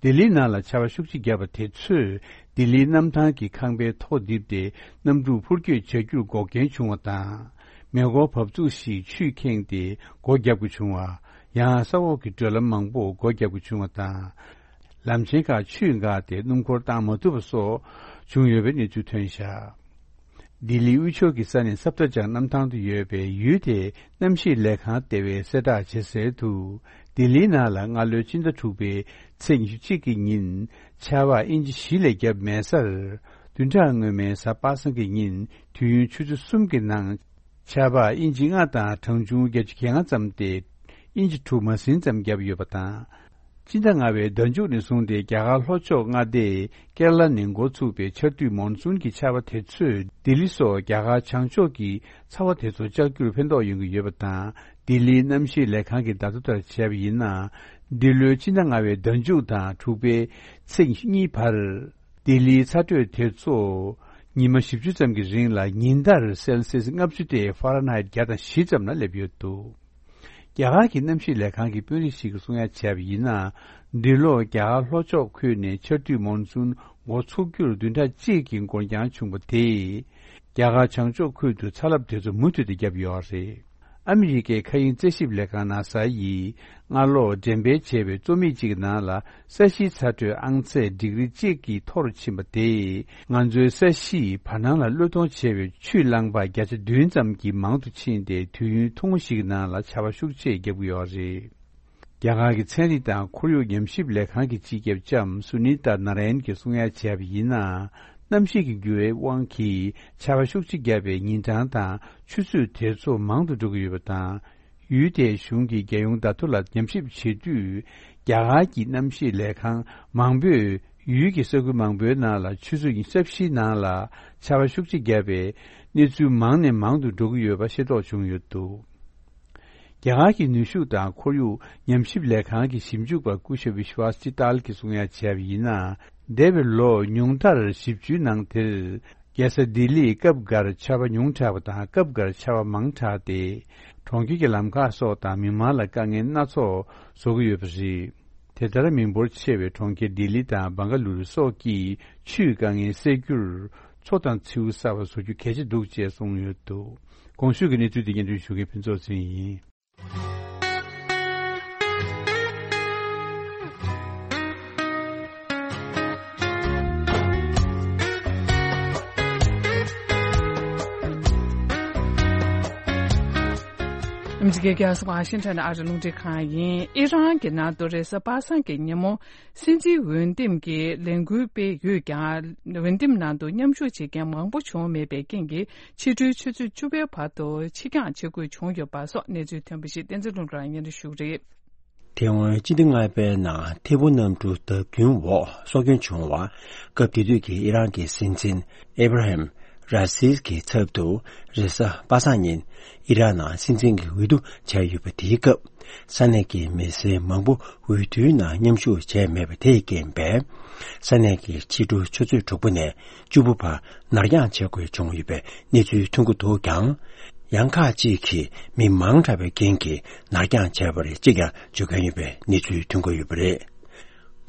ལྡི་ལིའི་ནང་ལ་ཆར་པ་ཤུགས་ཆེ་བརྒྱབ་པ་དེ་ཚོས་ལྡི་ལིའི་གནམ་ཐང་གི་ཁང་པའི་ཐོག་རྡིབ་སྟེ་གནམ་གྲུ་འཕུར་སྐྱོད་བྱ་རྒྱུར་འགོག་རྐྱེན་བྱུང་བ་དང་། མེ་འཁོར་བབས་ཚུགས་ཤིག་ཆུས་ཁེངས་ཏེ་སྒོ་བརྒྱབ་དགོས་བྱུང་བ། ཡང་ས་འོག་གི་བགྲོད་ལམ་མང་པོ་སྒོ་བརྒྱབ་དགོས་བྱུང་བ་དང་། ལམ་ཆེན་ཁག་ཆུས་འགགས་ཏེ་སྣུམ་འཁོར་བཏང་མ་ཐུབ་པ་སོགས་བྱུང་ཡོད་པའི་གནས་ཚུལ་ཐོན་བཞག་ལྡི་ལི་དབུས་ཕྱོགས་ཀྱི་ས་གནས་སབ་ཏ་ཇང་གནམ་ཐང་དུ་ཡོད་པའི་ཡུལ་དེའི་གནམ་གཤིས་ལས་ཁང་ལྟེ་བས་གསལ་བསྒྲགས་བྱས་གསལ་དུ། ལྡི་ལིའི་ནང་ལ་སྔ་ལོའི་སྤྱི་ཟླ་དྲུག་པའི་ཚེས་ཉི་ཤུ་གཅིག་གི་ཉིན་ཆར་པ་ཨིན་ཅི་བཞི་ལས་བརྒྱབ་མེད་སར། བདུན་ཕྲག་སྔོན་མའི་གཟའ་པ་སངས་ཀྱི་ཉིན་དུས་ཡུན་ཆུ་ཚོད་གསུམ་གྱི་ནང་ཆར་པ་ཨིན་ཅི་ལྔ་དང་གྲངས་ཆུང་བརྒྱད་ཅུ་གྱ་ལྔ་ཙམ་སྟེ། ཨིན་ཅི་དྲུག་མ་ཟིན་ཙམ་བརྒྱབ་ཡོད་པ་དང་། སྤྱི་ཟླ་ལྔ་པའི་ཟླ་མཇུག་ནས་བཟུང་སྟེ་རྒྱ་གར་ལྷོ་ཕྱོགས་མངའ་སྡེ་ཀེ་ར་ལ་ནས་འགོ་ཚུགས་པའི་ཆར་དུས་མོན་སུན་གྱི་ཆར་པ་དེ་ཚོས་ལྡི་ལི་སོགས་རྒྱ་གར་བྱང་ཕྱོགས་ཀྱི་ཚ་བ་དེ་ཚོ་བཅག་རྒྱུར་ཕན་ཐོགས་ཡོང་གི་ཡོད་པ་དང་། ལྡི་ལིའི་གནམ་གཤིས་ལས་ཁང་གི་བརྡ་ཐོ་ལྟར་བྱས་པ་ཡིན་ན། འདི་ལོའི་སྤྱི་ཟླ་ལྔ་པའི་ཟླ་མཇུག་དང་དྲུག་པའི་ཚེས་གཉིས་བར། ལྡི་ལིའི་ཚ་དྲོད་དེ་ཚོ་ཉི་མ་བཞི་བཅུ་ཙམ་གྱི་རིང་ལ་ཉིན་ལྟར་སེལ་སིས་ལྔ་བཅུ་སྟེ་ཧྥ་རན་ཧའེ་བརྒྱ་དང་བཞི་ཙམ་ལ་སླེབས་ཡོད་འདུག་རྒྱ་གར་གྱི་གནམ་གཤིས་ལས་ཁང་གི་དཔོན་རིགས་ཤིག་གིས་གསུང་ཡ་བྱས་པ་ཡིན་ན། འདི་ལོ་རྒྱ་གར་ལྷོ་ཕྱོགས་ཁུལ་ནས་ཆར་དུས་མོན་སུན་འགོ་ཚུགས་རྒྱུར་བདུན་ཕྲག་གཅིག་གི་འགོར་འགྱངས་བྱུང་བ་དེས། རྒྱ་གར་བྱང་ཕྱོགས་ཁུལ་དུ་ཚ་རླབས་དེ་ཚོ་མུ་མཐུད་དུ་བརྒྱབ་ཡོད་རེད། ཨ་མི་རི་ཀའི་མཁའ་དབྱིངས་རྩད་ཞིབ་ལས་ཁང་ནཱ་ས་ཡིས་སྔ་ལོ་འགྲེམས་སྤེལ་བྱས་པའི་རྩོམ་ཡིག་ཅིག་གི་ནང་ལ། ས་གཞིའི་ཚ་དྲོད་ཨང་ཚད་ཌིག་རི་གཅིག་གིས་མཐོ་རུ་ཕྱིན་པ་དེས། ང་ཚོའི་ས་གཞིས་བར་སྣང་ལ་གློད་གཏོང་བྱས་པའི་ཆུའི་རླངས་པ་བརྒྱ་ཆ་བདུན་ཙམ་གྱིས་མང་དུ་ཕྱིན་ཏེ། དུས་ཡུན་ཐུང་ངུ་ཞིག་གི་ནང་ལ་ཆར་པ་ཤུགས་ཆེ་བརྒྱབ་ཀྱི་ཡོད་རེད། རྒྱ་གར་གྱི་ཚན་རིག་དང་ཁོར་ཡུག་ཉམས་ཞིབ་ལས་ཁང་གི་སྤྱི་ཁྱབ་ལྕམ་སུ་ནི་ཏཱ་ན་ར་ཡན་གྱིས་གསུང་ཡ་བྱས་པ་ཡིན་ན། གནམ་གཤིས་ཀྱི་འགྱུར་བའི་དབང་གིས་ཆར་པ་ཤུགས་ཆེ་བརྒྱབ་པའི་ཉིན་གྲངས་དང་ཆུ་ཚོད་དེ་ཚོ་མང་དུ་འགྲོ་གི་ཡོད་པ་དང་། ཡུལ་དེའི་གཞུང་གི་རྒྱལ་ཡོངས་བརྡ་ཐོ་ལ་ཉམས་ཞིབ་བྱེད་དུས། རྒྱ་གར་གྱི་གནམ་གཤིས་ལས་ཁང་མང་པོས་ཡུལ་གྱི་ས་ཁུལ་མང་པོའི་ནང་ལ་ཆུ་ཚོད་ཉི་ཤུ་རྩ་བཞིའི་ནང་ལ་ཆར་པ་ཤུགས་ཆེ་བརྒྱབ་པའི་གནས་ཚུལ་མང་ནས་མང་དུ་འགྲོ་གི་ཡོད་པ་ཤེས་རྟོགས་བྱུང་ཡོད་འདུག་རྒྱ་གར་གྱི་ནུས་ཤུགས་དང་ཁོར་ཡུག་ཉམས་ཞིབ་ལས་ཁང་གི་ཞིབ་འཇུག་པ་སྐུ་ཞབས་བི་ཤ་ཝ་སི་ཏཱལ་གྱིས་གསུང་ཡ་བྱས་པ་ཡིན་ན། འདས་པའི་ལོ་ཉུང་མཐར་བཞི་བཅུའི་ནང་དེར། རྒྱལ་ས་ལྡི་ལིས་སྐབས་འགར་ཆར་པ་ཉུང་དྲགས་པ་དང་སྐབས་འགར་ཆར་པ་མང་དྲགས་ཏེ། གྲོང་ཁྱེར་གྱི་ལམ་ཁ་སོགས་དང་མི་མང་ལ་དཀའ་ངལ་སྣ་ཚོགས་བཟོ་གི་ཡོད་པ་རེད། དེ་ལྟར་མི་འབོར་ཆེ་བའི་གྲོང་ཁྱེར་ལྡི་ལི་དང་བང་ག་ལུ་རུ་སོགས་ཀྱིས་ཆུའི་དཀའ་ངལ་སེལ་རྒྱུར་མཚོ་དང་མཚེའུ་གསར་པ་བཟོ་རྒྱུ་གལ་ཆེ་འདུག་ཅེས་གསུངས་ཡོད་འདུག། གོང་ཞུས་ཀྱི་གནས་ཚུལ་དེ་སྙན་སྒྲོན་ཞུ་མཁན་ཕུན་ཚོགས་ཚེ་རིང་ཡིན། ཨ་མི་རི་ཀའི་རྒྱལ་ས་ཝ་ཤིང་ཊོན་ཨ་རི་རླུང་འཕྲིན་ཁང་ཡིན། ཨི་རན་གྱི་ནང་དུ་རེས་གཟའ་པ་སངས་ཀྱི་ཉིན་མོ། སྲིད་འཛིན་འོས་འདེམས་ཀྱི་ལས་འགུལ་སྤེལ་ཡོད་ཀྱང་། འོས་འདེམས་ནང་དུ་མཉམ་ཞུགས་བྱེད་མཁན་མང་པོ་བྱུང་མེད་པའི་རྐྱེན་གྱིས། ཕྱི་དྲོའི་ཆུ་ཚོད་བཅུ་པའི་བར་དུ་ཕྱིར་འགྱངས་བྱེད་དགོས་བྱུང་ཡོད་པ་སོགས་གནས་ཚུལ་ཐོན་པ་ཞིག་བསྟན་འཛིན་ལྷུན་གྲུབ་ལགས་སྙན་སྒྲོན་ཞུ་གི་རེད། དེ་སྔོན་སྤྱི་ཟླ་ལྔ་པའི་ནང་ཐེ་བོ་གནམ་གྲུ་བརྡབ་སྐྱོན་འོག་སྲོག་སྐྱོན་བྱུང་བ། སྐབས་དེ་དུས་ཀྱི་ཨི་རན་གྱི་སྲིད་འཛིན་ཨེ་བྷ་ར་ཧེམ་ར་སིས་ཀྱི་ཚབ་ཏུ་རེས་གཟའ་པ་སངས་ཉིན་ཨི་རན་ནང་སྲིད་འཛིན་གྱི་འོས་བསྡུ་བྱས་ཡོད་པ་དེའི་སྐབས། ས་གནས་ཀྱི་མི་སེར་མང་པོ་འོས་བསྡུའི་ནང་མཉམ་ཞུགས་བྱས་མེད་པ་དེས་རྐྱེན་པས། ས་གནས་ཀྱི་ཕྱི་དྲོ་ཆུ་ཚོད་དྲུག་པ་ནས་བཅུ་པ་བར་ནར་འགྱངས་བྱེད་དགོས་བྱུང་ཡོད་པའི་གནས་ཚུལ་ཐོན་གྱི་འདུག་ཀྱང་། ཡང་ཁག་ཅིག་གིས་མི་མང་དྲགས་པའི་རྐྱེན་གྱིས་ནར་འགྱངས་བྱས་པ་རེད་ཅེས་ཀྱང་བརྗོད་མཁན་ཡོད་པའི་གནས་ཚུལ་ཐོན་གྱི་ཡོད་པ་རེད།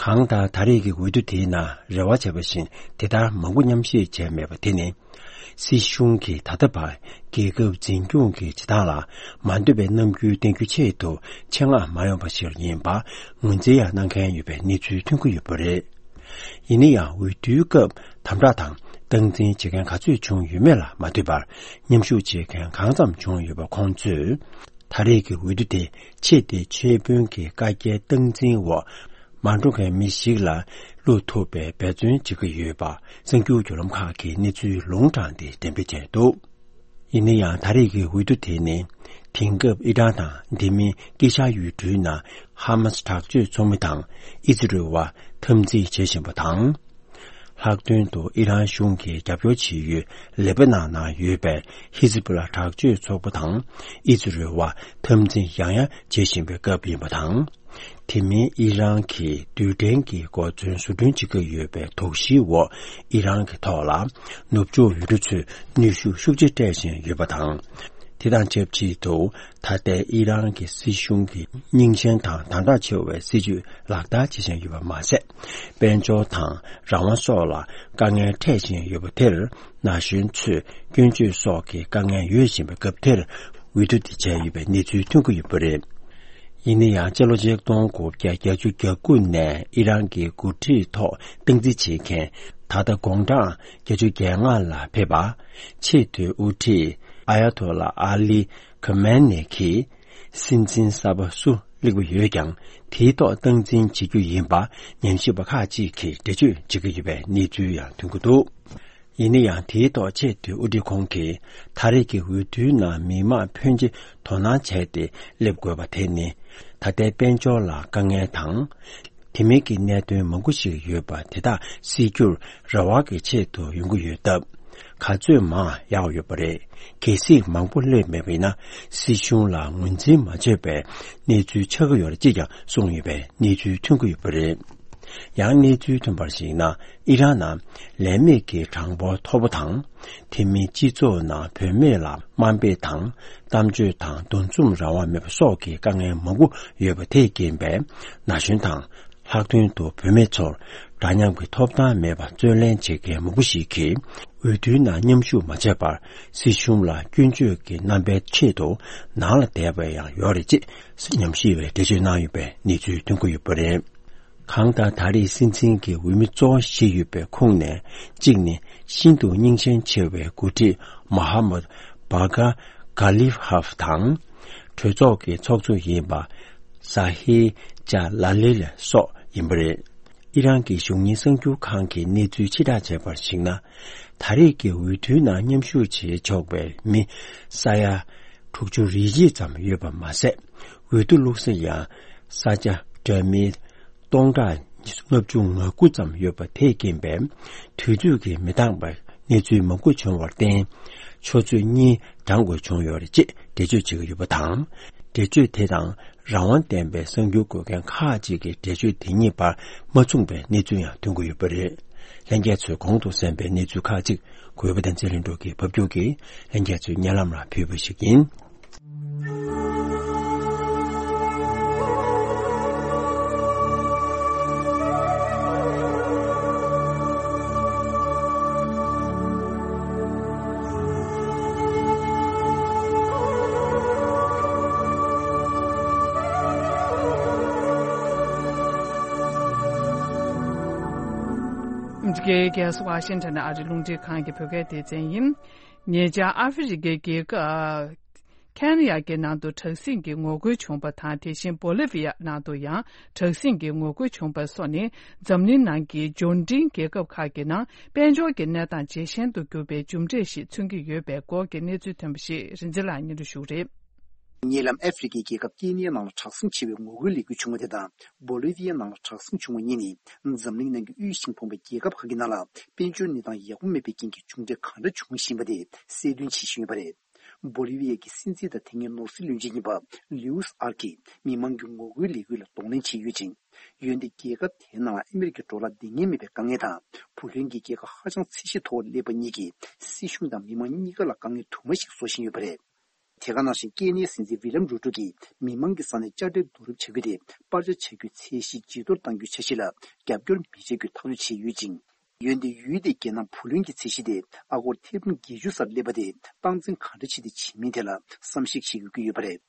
གང་ལྟར་ད་རེས་ཀྱི་འོས་བསྡུ་དེའི་ནང་རེ་བ་བྱས་པ་བཞིན་དེ་ལྟར་མང་པོ་མཉམ་ཞུགས་བྱས་མེད་པ་དེ་ནི། སྲིད་གཞུང་གིས་ད་ལྟ་བར་རྒྱལ་ཁབ་འཛིན་སྐྱོང་གི་བྱེད་སྟངས་ལ་མ་འདོད་པའི་རྣམ་འགྱུར་བསྟན་རྒྱུ་ཆེད་དུ་ཆེད་མངགས་མ་ཡོང་པ་ཞིག་ཡིན་པ་ངོས་འཛིན་ཡང་གནང་མཁན་ཡོད་པའི་གནས་ཚུལ་ཐོན་གྱི་ཡོད་པ་རེད། ཡིན་ན་ཡང་འོས་བསྡུའི་སྐབས་དམ་དྲག་དང་སྟངས་འཛིན་བྱེད་མཁན་ག་ཚོད་བྱུང་ཡོད་མེད་ལ་མ་ལྟོས་པར་མཉམ་ཞུགས་བྱེད་མཁན་གང་ཙམ་བྱུང་ཡོད་པ་ཁོང་ཚོས། ད་རེས་ཀྱི་འོས་བསྡུ་དེ་ཆེས་དེ་ཆེས་དཔོན་གྱི་བཀའ་རྒྱའི་སྟངས་འཛིན་འོག་མ་འགྲོ་མཁན་མི་ཞིག་ལ་བླུག་ཐུབ་པའི་འབད་བརྩོན་བྱེད་ཀྱི་ཡོད་པ་གསར་འགྱུར་བརྒྱུད་ལམ་ཁག་གིས་གནས་ཚུལ་ལུང་དྲངས་ཏེ་འགྲེམས་སྤེལ་བྱས་འདུག། ཡིན་ན་ཡང་ད་རེས་ཀྱི་འོས་བསྡུ་དེ་ནི་དེང་སྐབས་ཨི་རན་དང་དེ་མིན་དཀྱིལ་ཤར་ཡུལ་གྲུའི་ནང་ཧ་མ་སི་དྲག་སྤྱོད་ཚོགས་མི་དང་ཨི་ཛི་རལ་བ་འཐབ་འཛིང་བྱེད་བཞིན་པ་དང་། ལྷག་དོན་དུ་ཨི་རན་གཞུང་གིས་རྒྱབ་སྐྱོར་བྱེད་ཡུལ་ལེ་པ་ནན་ནང་ཡོད་པའི་ཧི་ཛི་པུ་ལ་དྲག་སྤྱོད་ཚོགས་པ་དང་ཨི་ཛི་རལ་བ་འཐབ་འཛིང་ཡང་ཡང་བྱེད་བཞིན་པའི་སྐབས་ཡིན་པ་དང་། དེ་མིན་ཨི་རན་གྱིས་རྡུལ་ཕྲན་གྱི་གོ་མཚོན་བཟོ་སྐྲུན་བྱེད་ཀྱི་ཡོད་པའི་དོགས་གཞིའི་འོག་ཨི་རན་གྱི་ཐོག་ལ་ནུབ་ཕྱོགས་ཡུལ་གྲུ་ཚོས་ནུས་ཤུགས་ཤུགས་ཆེ་སྤྲད་བཞིན་ཡོད་པ་དང་། དེ་དང་ཆབས་ཅིག་ཏུ་ད་ལྟའི་ཨི་རན་གྱི་སྲིད་གཞུང་གིས་རྙིང་ཞེན་དང་དམ་དྲག་ཆེ་བའི་སྲིད་བྱུས་ལག་བསྟར་བྱེད་བཞིན་ཡོད་པ་མ་ཟད། དཔལ་འབྱོར་དང་རང་དབང་སོགས་ལ་དཀའ་ངལ་འཕྲད་བཞིན་ཡོད་པ་དེར་ན་གཞོན་ཚོས་སྐྱོན་བརྗོད་སོགས་ཀྱི་དཀའ་ངལ་ཡོད་བཞིན་པའི་སྐབས་དེར་འོས་བསྡུ་དེ་བྱས་ཡོད་པའི་གནས་ཚུལ་ཐོན་གྱི་ཡོད་པ་རེད། ཡིན་ན་ཡང་སྤྱི་ལོ་ཆིག་སྟོང་དགུ་བརྒྱ་བརྒྱད་ཅུ་གྱ་དགུ་ནས་ཨི་རན་གྱི་འགོ་ཁྲིད་ཐོག་སྟངས་འཛིན་བྱེད་མཁན་ད་ལྟ་དགུང་གྲངས་བརྒྱད་ཅུ་གྱ་ལྔ་ལ་ཕེབས་པ། ཆེས་མཐོའི་དབུ་ཁྲིད་ཨ་ཡ་ཐོ་ལ་ཨ་ལི་ཁ་མན་ནེ་གིས། སྲིད་འཛིན་གསར་པ་སུ་སླེབས་ཀྱི་ཡོད་ཀྱང་། དེའི་ཐོག་སྟངས་འཛིན་བྱེད་རྒྱུ་ཡིན་པ་ཉམས་ཞིབ་པ་ཁག་ཅིག་གིས་འགྲེལ་བརྗོད་བྱེད་ཀྱི་ཡོད་པའི་གནས་ཚུལ་ཡང་ཐོན་གྱི་འདུག། ཡིན་ན་ཡང་དེའི་ཐོག་ཆེས་མཐོའི་དབུ་ཁྲིད་ཁོང་གིས་ད་རེས་ཀྱི་འོས་བསྡུའི་ནང་མི་མང་ཕོན་ཆེ་དོ་སྣང་བྱས་ཏེ་སླེབས་དགོས་པ་དེ་ནི། ད་ལྟའི་དཔལ་འབྱོར་ལ་དཀའ་ངལ་དང་། དེ་མིན་གྱི་གནད་དོན་མང་པོ་ཞིག་ཡོད་པ་དེ་དག་སེལ་རྒྱུར་རེ་བ་གི་ཆེད་དུ་ཡོང་གི་ཡོད་སྟབས། ག་ཚོད་མང་ཡག་ཡོད་པ་རེད། གལ་སྲིད་མང་པོ་སླེབས་མེད་པ་ཡིན་ན་སྲིད་གཞུང་ལ་ངོས་འཛིན་མ་བྱས་པའི་གནས་ཚུལ་ཆགས་ཀྱི་ཡོད་རེད་ཅེས་ཀྱང་གསུངས་ཡོད་པའི་གནས་ཚུལ་ཐོན་གྱི་ཡོད་པ་རེད། ཡང་གནས་ཚུལ་ཐོན་པར་གཞིགས་ན་ཨི་རན་ནང་ལས་མེད་ཀྱི་གྲངས་འབོར་མཐོ་པོ་དང་། དེ་མིན་སྤྱི་ཚོགས་ནང་བུད་མེད་ལ་དམའ་འབེབས་དང་གཏམ་བརྗོད་དང་འདུ་འཛོམས་རང་དབང་མེད་པ་སོགས་ཀྱི་དཀའ་ངལ་མང་པོ་ཡོད་པ་དེས་རྐྱེན་པས་ན་གཞོན་དང་། ལྷག་དོན་དུ་བུད་མེད་ཚོར་འདྲ་མཉམ་གྱི་ཐོབ་ཐང་མེད་པར་རྩོད་ལེན་བྱེད་མཁན་མང་པོ་ཞིག་གིས་འོས་བསྡུའི་ནང་མཉམ་ཞུགས་མ་བྱས་པར་སྲིད་གཞུང་ལ་སྐྱོན་བརྗོད་ཀྱི་རྣམ་པའི་ཆེད་དུ་ནང་ལ་བསྡད་པ་ཡང་ཡོད་རེད་ཅེས་ཉམས་ཞིབ་པས་འགྲེལ་བརྗོད་གནང་ཡོད་པའི་གནས་ཚུལ་ཐོན་གྱི་ཡོད་པ་རེད། གང་ལྟར་ད་རེས་སྲིད་འཛིན་གྱི་འོས་མི་གཙོ་བོ་བཞི་ཡོད་པའི་ཁོངས་ནས་གཅིག་ནི་ཤིན་ཏུ་རྙིང་ཞེན་ཆེ་བའི་འགོ་ཁྲིད་མོ་ཧ་མད་བྷ་ག་གྷ་ལི་ཧབ་དང་། གྲོས་ཚོགས་ཀྱི་ཚོགས་གཙོ་ཡིན་པ་ཟ་ཧི་ཇ་ལ་ལི་ལ་སོགས་ཡིན་པ་རེད། ཨི་རན་གྱི་གཞུང་གཉེར་གསར་འགྱུར་ཁང་གིས་གནས་ཚུལ་ཕྱིར་བསྒྲགས་བྱས་པར་གཞིགས་ན། ད་རེས་ཀྱི་འོས་བསྡུའི་ནང་མཉམ་ཞུགས་བྱེད་ཆོག་པའི་མི་ས་ཡ་དྲུག་ཅུ་རེ་གཅིག་ཙམ་ཡོད་པ་མ་ཟད། འོས་བསྡུ་བླུགས་ས་ཡང་ས་ཆ་འདྲ་མིན་སྟོང་ཕྲག་ལྔ་བཅུ་ང་དགུ་ཙམ་ཡོད་པ་དེས་རྐྱེན་པས། དུས་ཚོད་ཀྱིས་མི་འདང་བའི་གནས་ཚུལ་མང་པོ་བྱུང་བར་བརྟེན། ཆུ་ཚོད་གཉིས་བགྲང་དགོས་བྱུང་ཡོད་རེད་ཅེས་འགྲེལ་བརྗོད་བྱེད་ཀྱི་ཡོད་པ་དང་། འགྲེལ་བརྗོད་དེ་དང་རང་དབང་ལྡན་པའི་གསར་འགྱུར་འགོད་མཁན་ཁག་ཅིག་གི་འགྲེལ་བརྗོད་དེ་གཉིས་བར་མ་མཚུངས་པའི་གནས་ཚུལ་ཡང་ཐོན་གྱི་ཡོད་པ་རེད། ལྷན་རྒྱས་ཚོས་གོང་དུ་གསན་པའི་གནས་ཚུལ་ཁག་ཅིག་གུས་པ་དང་ཚེ་རིང་གྲོགས་ཀྱིས་ཕབ་སྒྱུར་གྱིས་ལྷན་རྒྱས་ཚོའི་སྙན་ལམ་ལ་ཕུལ་བ་ཞིག་ཡིན། འདི་གའི་རྒྱལ་ས་ཝ་ཤིང་ཊོན་ཨ་རི་རླུང་འཕྲིན་ཁང་གི་བོད་སྐད་སྡེ་ཚན་ཡིན། ཉེ་ཆར་ཨ་ཧྥེ་རི་ཁའི་རྒྱལ་ཁབ་ཁེན་ཡ་གི་ནང་དུ་དྲག་ཟིང་གི་ངོ་རྒོལ་བྱུང་བ་དང་། དེ་བཞིན་བོ་ལི་བི་ཡ་ནང་དུ་ཡང་དྲག་ཟིང་གི་ངོ་རྒོལ་བྱུང་བ་སོགས་ནི། འཛམ་གླིང་ནང་གི་འབྱོར་འབྲིང་རྒྱལ་ཁབ་ཁག་གི་ནང་དཔལ་འབྱོར་གྱི་གནས་སྟངས་ཇེ་ཞན་དུ་གྱུར་པའི་རྒྱུ་འབྲས་ཤིག་མཚོན་གྱི་ཡོད་པའི་སྐོར་གྱི་གནས་ཚུལ་ཐོན་པ་ཞིག་རིན་འཛིན་ལགས་སྙན་སྒྲོན་ཞུ་གི་རེད། ཉེ་ལམ་ཨ་ཧྥེ་རི་ཁའི་རྒྱལ་ཁབ་ཀེ་ནི་ཡ་ནང་ལ་དྲག་ཟིང་ཆེ་བའི་ངོ་རྒོལ་ལས་འགུལ་བྱུང་བ་དེ་དང་། བོ་ལི་བི་ཡ་ནང་ལ་དྲག་ཟིང་བྱུང་བ་གཉིས་ནི། འཛམ་གླིང་ནང་གི་དབུལ་ཞིང་ཕོངས་པའི་རྒྱལ་ཁབ་ཁག་གི་ནང་ལ་དཔལ་འབྱོར་གནས་སྟངས་ཡག་པོ་མེད་པའི་རྐྱེན་གྱིས་མཇུག་འབྲས་གང་འདྲ་བྱུང་བཞིན་པ་དེ་གསལ་སྟོན་བྱེད་བཞིན་ཡོད་པ་རེད། བོ་ལི་བི་ཡ་གི་སྲིད་འཛིན་དང་དེ་སྔའི་ནོར་སྲིད་བློན་ཆེན་ཡིན་པ་ལིའུ་སི་ཨར་གྱིས་མི་མང་གི་ངོ་རྒོལ་ལས་འགུལ་ལ་གདོང་ལེན་བྱས་ཡོད་ཅིང་། འོན་ཏེ་རྒྱལ་ཁབ་དེའི་ནང་ལ་ཨ་མི་རི་ཀའི་ཌོ་ལར་འདང་ངེས་མེད་པའི་དཀའ་ངལ་དང་། བུ་ལོན་གྱི་རྒྱལ་ཁ་ཧ་ཅང་ཚད་གཞི་མཐོ་བར་སླེབས་པ་གཉིས་ཀྱིས་སྲིད་གཞུང་དང་མི་མང་གཉིས་ཀ་ལ་དཀའ་ངལ་དུ་མ་ཞིག་བཟོ་བཞིན་ཡོད་པ་རེད། དེ་ག་ནང་བཞིན་ཀེ་ནི་ཡའི་སྲིད་འཛིན་ཝི་ལམ་རུ་ཏོ་གིས་མི་མང་གི་ས་ནས་དཔྱ་ཁྲལ་བསྡུ་རུབ་བྱ་རྒྱུ་དེ་སྤར་ཆ་བྱ་རྒྱུའི་ཚད་གཞི་ཇེ་མཐོར་གཏང་རྒྱུའི་འཆར་གཞི་ལ་རྒྱབ་སྐྱོར་མི་བྱ་རྒྱུའི་ཐག་གཅོད་བྱས་ཡོད་ཅིང་། འོན་ཏེ་ཡུལ་དེའི་རྒྱལ་ནང་བུ་ལོན་གྱི་ཚད་གཞི་དེ་ཨ་སྒོར་ཐེར་འབུམ་བརྒྱད་ཅུ་སར་སླེབས་པ་དེ་སྟངས་འཛིན་གང་འདྲ་བྱས་ཏེ་བྱེད་མིན་ཐད་ལ་བསམ་གཞིག་བྱེད་དགོས་ཀྱི་ཡོད་པ་རེད།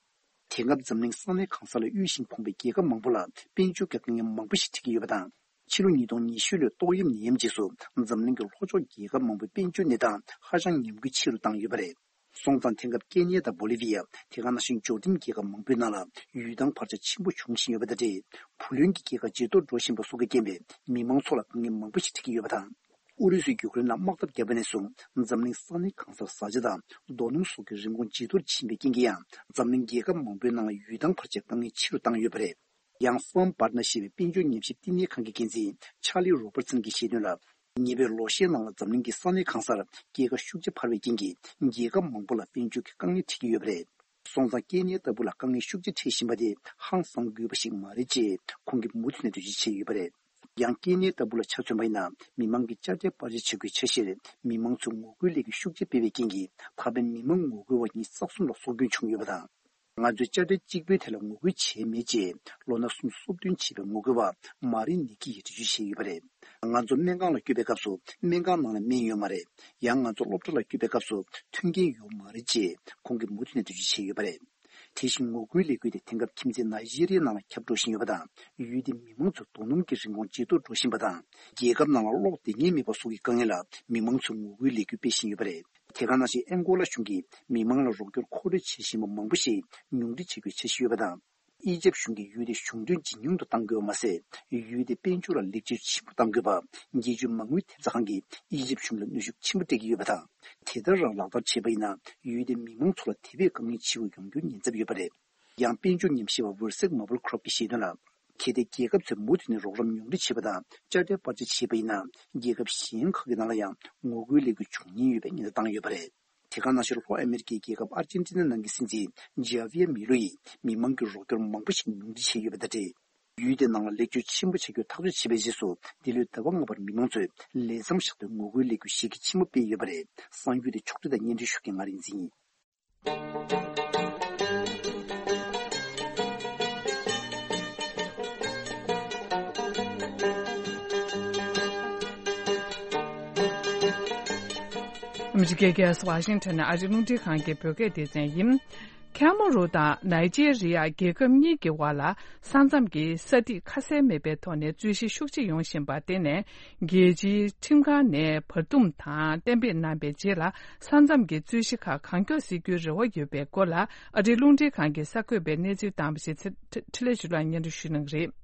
དེང་སྐབས་འཛམ་གླིང་ས་གནས་གང་ས་ལ་དབུལ་ཞིང་ཕོངས་པའི་རྒྱལ་ཁབ་མང་པོ་ལ་དཔལ་འབྱོར་གྱི་དཀའ་ངལ་མང་པོ་ཞིག་འཕྲད་ཀྱི་ཡོད་པ་དང་། ཕྱི་ལོ་ཉིས་སྟོང་ཉི་ཤུ་ལོའི་ཏོག་དབྱིབས་ནད་ཡམས་རྗེས་སུ་འཛམ་གླིང་གི་ལྷོ་ཕྱོགས་རྒྱལ་ཁབ་མང་པོའི་དཔལ་འབྱོར་གནས་སྟངས་ཧ་ཅང་ཉམས་རྒུད་ཆེ་རུ་བཏང་ཡོད་པ་རེད། སོང་ཙང་དེང་སྐབས་ཀེ་ནི་ཡ་དང་བོ་ལི་བི་ཡ། དེ་ག་ནང་བཞིན་འབྱོར་ལྡན་རྒྱལ་ཁབ་མང་པོའི་ནང་ལ་ཡུལ་ཐང་བར་ཆད་ཆེན་པོ་འབྱུང་བཞིན་ཡོད་པ་དང་འབྲེལ། བུ་ལོན་གྱི་རྒྱལ་ཁ་ཇེ་མཐོར་འགྲོ་བཞིན་པ་སོགས་ཀྱི་རྐྱེན་པས་མི་མང་ཚོ་ལ་དཀའ་ངལ་མང་པོ་ཞིག་འཕྲད་ཀྱི་ཡོད་པ་དང་། ཨུ་རུ་སུས་ཡུཀ་རེན་ལ་དམག་འཐབ་བརྒྱབ་པ་ནས་བཟུང་འཛམ་གླིང་ས་གནས་གང་སར་བཟའ་བཅའ་དང་རྡོ་སྣུམ་སོགས་ཀྱི་རིན་གོང་ཇེ་མཐོར་ཕྱིན་པའི་རྐྱེན་གྱིས་ཡང་འཛམ་གླིང་རྒྱལ་ཁབ་མང་པོའི་ནང་ལ་ཡུལ་ཐང་བར་ཆད་དཀའ་ངལ་ཆེ་རུ་བཏང་ཡོད་པ་རེད། ཡང་སོམ་བར་ན་ཞེས་པའི་དཔལ་འབྱོར་ཉམས་ཞིབ་བསྟི་གནས་ཁང་གི་འགན་འཛིན་ཆར་ལི་རོ་པར་སན་གྱིས་བཤད་དོན་ལ། ཉེ་བའི་ལོ་ཤས་ནང་ལ་འཛམ་གླིང་གི་ས་གནས་གང་སར་རྒྱལ་ཁ་ཤུགས་ཆེ་འཕར་བའི་རྐྱེན་གྱིས་རྒྱལ་ཁབ་མང་པོ་ལ་དཔལ་འབྱོར་གྱི་དཀའ་ངལ་འཕྲད་ཀྱི་ཡོད་པ་རེད། སོང་ཙང་ཀེ་ནི་ཡ་ལྟ་བུ་ལ་དཀའ་ངལ་ཤུགས་ཆེ་འཕྲད་བཞིན་པ་དེ་ཧང་སང་དགོས་པ་ཞིག་མ་རེད་ཅེས་ཁོང་གིས་མུ་མཐུད་ནས་འགྲེལ་བརྗོད་བྱས་ཡོད་པ་རེད། ཡང་ཀེ་ནི་ཡ་ལྟ་བུ་ལ་ཆ་མཚོན་པ་ཡིན་ན། མི་མང་གི་དཔྱ་ཁྲལ་སྤར་ཆ་བྱ་དགོས་འཆར་གཞིར་མི་མང་ཚོས་ངོ་རྒོལ་ལས་འགུལ་ཤུགས་ཆེ་སྤེལ་བའི་རྐྱེན་གྱིས་ད་ཕན་མི་མང་ངོ་རྒོལ་བ་གཉིས་ས་གསུམ་ལ་སྲོག་སྐྱོན་བྱུང་ཡོད་པ་དང་། ང་ཚོས་དཔྱ་ཁྲལ་གཅིག་པུའི་ཐད་ལ་ངོ་རྒོལ་བྱས་མེད་ཅེས་ལོ་ན་སུམ་ཅུ་སོ་བདུན་བྱས་པའི་ངོ་རྒོལ་བ་མ་རི་ནི་ཀི་ཡིས་འགྲེལ་བརྗོད་བྱས་ཡོད་པ་རེད། ང་ཚོ་སྨན་ཁང་ལ་བསྐྱོད་པའི་སྐབས་སུ་སྨན་ཁང་ནང་ལ་སྨན་ཡོད་མ་རེད། ཡང་ང་ཚོ་སློབ་གྲྭ་ལ་བསྐྱོད་པའི་སྐབས་སུ་མཐུན་རྐྱེན་ཡོད་མ་རེད་ཅེས་ཁོང་གིས་མུ་མཐུད་ནས་འགྲེལ་བརྗོད་བྱས་ཡོད་པ་རེད། དེ་བཞིན་ངོ་རྒོལ་ལས་འགུལ་དེ་དེང་སྐབས་ཁྱིམ་མཚེས་ནཱི་ཇི་རི་ཡའི་ནང་ལ་ཁྱབ་འགྲོ་བཞིན་ཡོད་པ་དང་། ཡུལ་དེའི་མི་མང་ཚོའི་རྡོ་སྣུམ་གྱི་རིན་གོང་ཇེ་མཐོར་འགྲོ་བཞིན་པ་དང་། རྒྱལ་ཁབ་ནང་ལ་གློག་འདང་ངེས་མེད་པ་སོགས་ཀྱི་དཀའ་ངལ་ལ་མི་མང་ཚོས་ངོ་རྒོལ་ལས་འགུལ་སྤེལ་བཞིན་ཡོད་པ་རེད། དེ་ག་ནང་བཞིན་ཨན་གོ་ལ་གཞུང་གིས་མི་མང་ལ་རོགས་སྐྱོར་མཁོ་སྤྲོད་བྱེད་བཞིན་པ་མང་པོ་ཞིག་ཉུང་འཕྲི་བྱེད་དགོས་འཆར་གཞི་ཡོད་པ་དང་། ཨི་ཇེབ་གཞུང་གིས་ཡུལ་དེ་གཞུང་འབྲེལ་ཇེ་ཉུང་དུ་གཏང་དགོས་པ་མ་ཟད། ཡུལ་དེའི་དཔལ་འབྱོར་ལ་ལེགས་བཅོས་ཆེན་པོ་གཏང་དགོས་པ། རྒྱལ་སྤྱིའི་མ་དངུལ་ཐེབས་རྩ་ཁང་གིས་ཨི་ཇེབ་གཞུང་ལ་གནོན་ཤུགས་ཆེན་པོ་སྤྲད་ཀྱི་ཡོད་པ་དང་། དེ་ལྟར་རང་ལག་བསྟར་བྱས་པ་ཡིན་ན། ཡུལ་དེའི་མི་མང་ཚོ་ལ་དེ་བས་དཀའ་ངལ་ཆེ་བ་ཡོང་རྒྱུའི་ཉེན་ཚབས་ཡོད་པ་རེད། ཡང་དཔལ་འབྱོར་ཉམས་ཞིབ་པ་ཝུར་སེག་མ་བུལ་ཁྲོབ་ཀྱིས་བཤད་དོན་ལ། གལ་ཏེ་རྒྱལ་ཁབ་ཚོས་མུ་མཐུད་ནས་རོགས་རམ་ཉུང་འཕྲི་བྱས་པ་དང་དཔྱ་ཁྲལ་སྤར་ཆ་བྱས་པ་ཡིན་ན། རྒྱལ་ཁབ་གཞན་ཁག་གི་ནང་ལ་ཡང་ངོ་རྒོལ་ལས་འགུལ་འབྱུང་ཉེན་ཡོད་པའི་ཉེན་བརྡ་བཏང་ཡོད་པ་རེད། དེ་ག་ནང་བཞིན་ལྷོ་ཨ་མེ་རི་ཀའི་རྒྱལ་ཁབ་ཨར་ཇེན་ཊི་ན་ནང་གི་སྲིད་འཛིན་ཇཱ་བི་ཡར་མི་ལོ་ཡིས་མི་མང་གི་རོགས་སྐྱོར་མང་པོ་ཞིག་ཉུང་འཕྲི་བྱས་ཡོད་པ་དང་འབྲེལ། ཡུལ་དེའི་ནང་ལ་ལེགས་བཅོས་ཆེན་པོ་བྱ་རྒྱུར་ཐག་གཅོད་བྱས་པའི་རྗེས་སུ། འདི་ལོའི་ཟླ་བ་ལྔ་པར་མི་མང་ཚོས་ལས་མཚམས་བཞག་སྟེ་ངོ་རྒོལ་ལས་འགུལ་གཞི་རྒྱ་ཆེན་པོ་སྤེལ་ཡོད་པ་རེད། གསར་འགྱུར་དེ་ཕྱོགས་བསྒྲིགས་དང་སྙན་སྒྲོན་ཞུ་མཁན་ང་རིག་འཛིན་ཡིན། ཨ་མི་རི་ཀའི་རྒྱལ་ས་ཝ་ཤིང་ཊོན་ནས་ཨ་རིའི་རླུང་འཕྲིན་ཁང་གི་བོད་སྐད་སྡེ་ཚན་ཡིན། ཁེ་མ་རུ་དང་ནཱི་ཇེ་རི་ཡ་རྒྱལ་ཁབ་གཉིས་ཀྱི་དབར་ལ་ས་མཚམས་ཀྱི་ས་ཐིག་ཁ་གསལ་མེད་པའི་ཐོག་ནས་རྩོད་གཞི་ཤུགས་ཆེ་ཡོང་བཞིན་པར་བརྟེན་ནས། རྒྱལ་སྤྱིའི་ཁྲིམས་ཁང་ནས་བར་འདུམ་དང་གཏན་འབེབས་གནང་བའི་རྗེས་ལ། ས་མཚམས་ཀྱི་རྩོད་གཞི་ཁག་གང་མགྱོགས་སེལ་རྒྱུའི་རེ་བ་ཡོད་པའི་སྐོར་ལ། ཨ་རིའི་རླུང་འཕྲིན་ཁང་གིས་གསར་འགོད་པའི་གནས་ཚུལ་བཏང་བ་ཞིག་ཚེ་འཕྲིན་ལས་ཞུ་ལགས་སྙན་སྒྲོན་ཞུ་གནང་གི་རེད།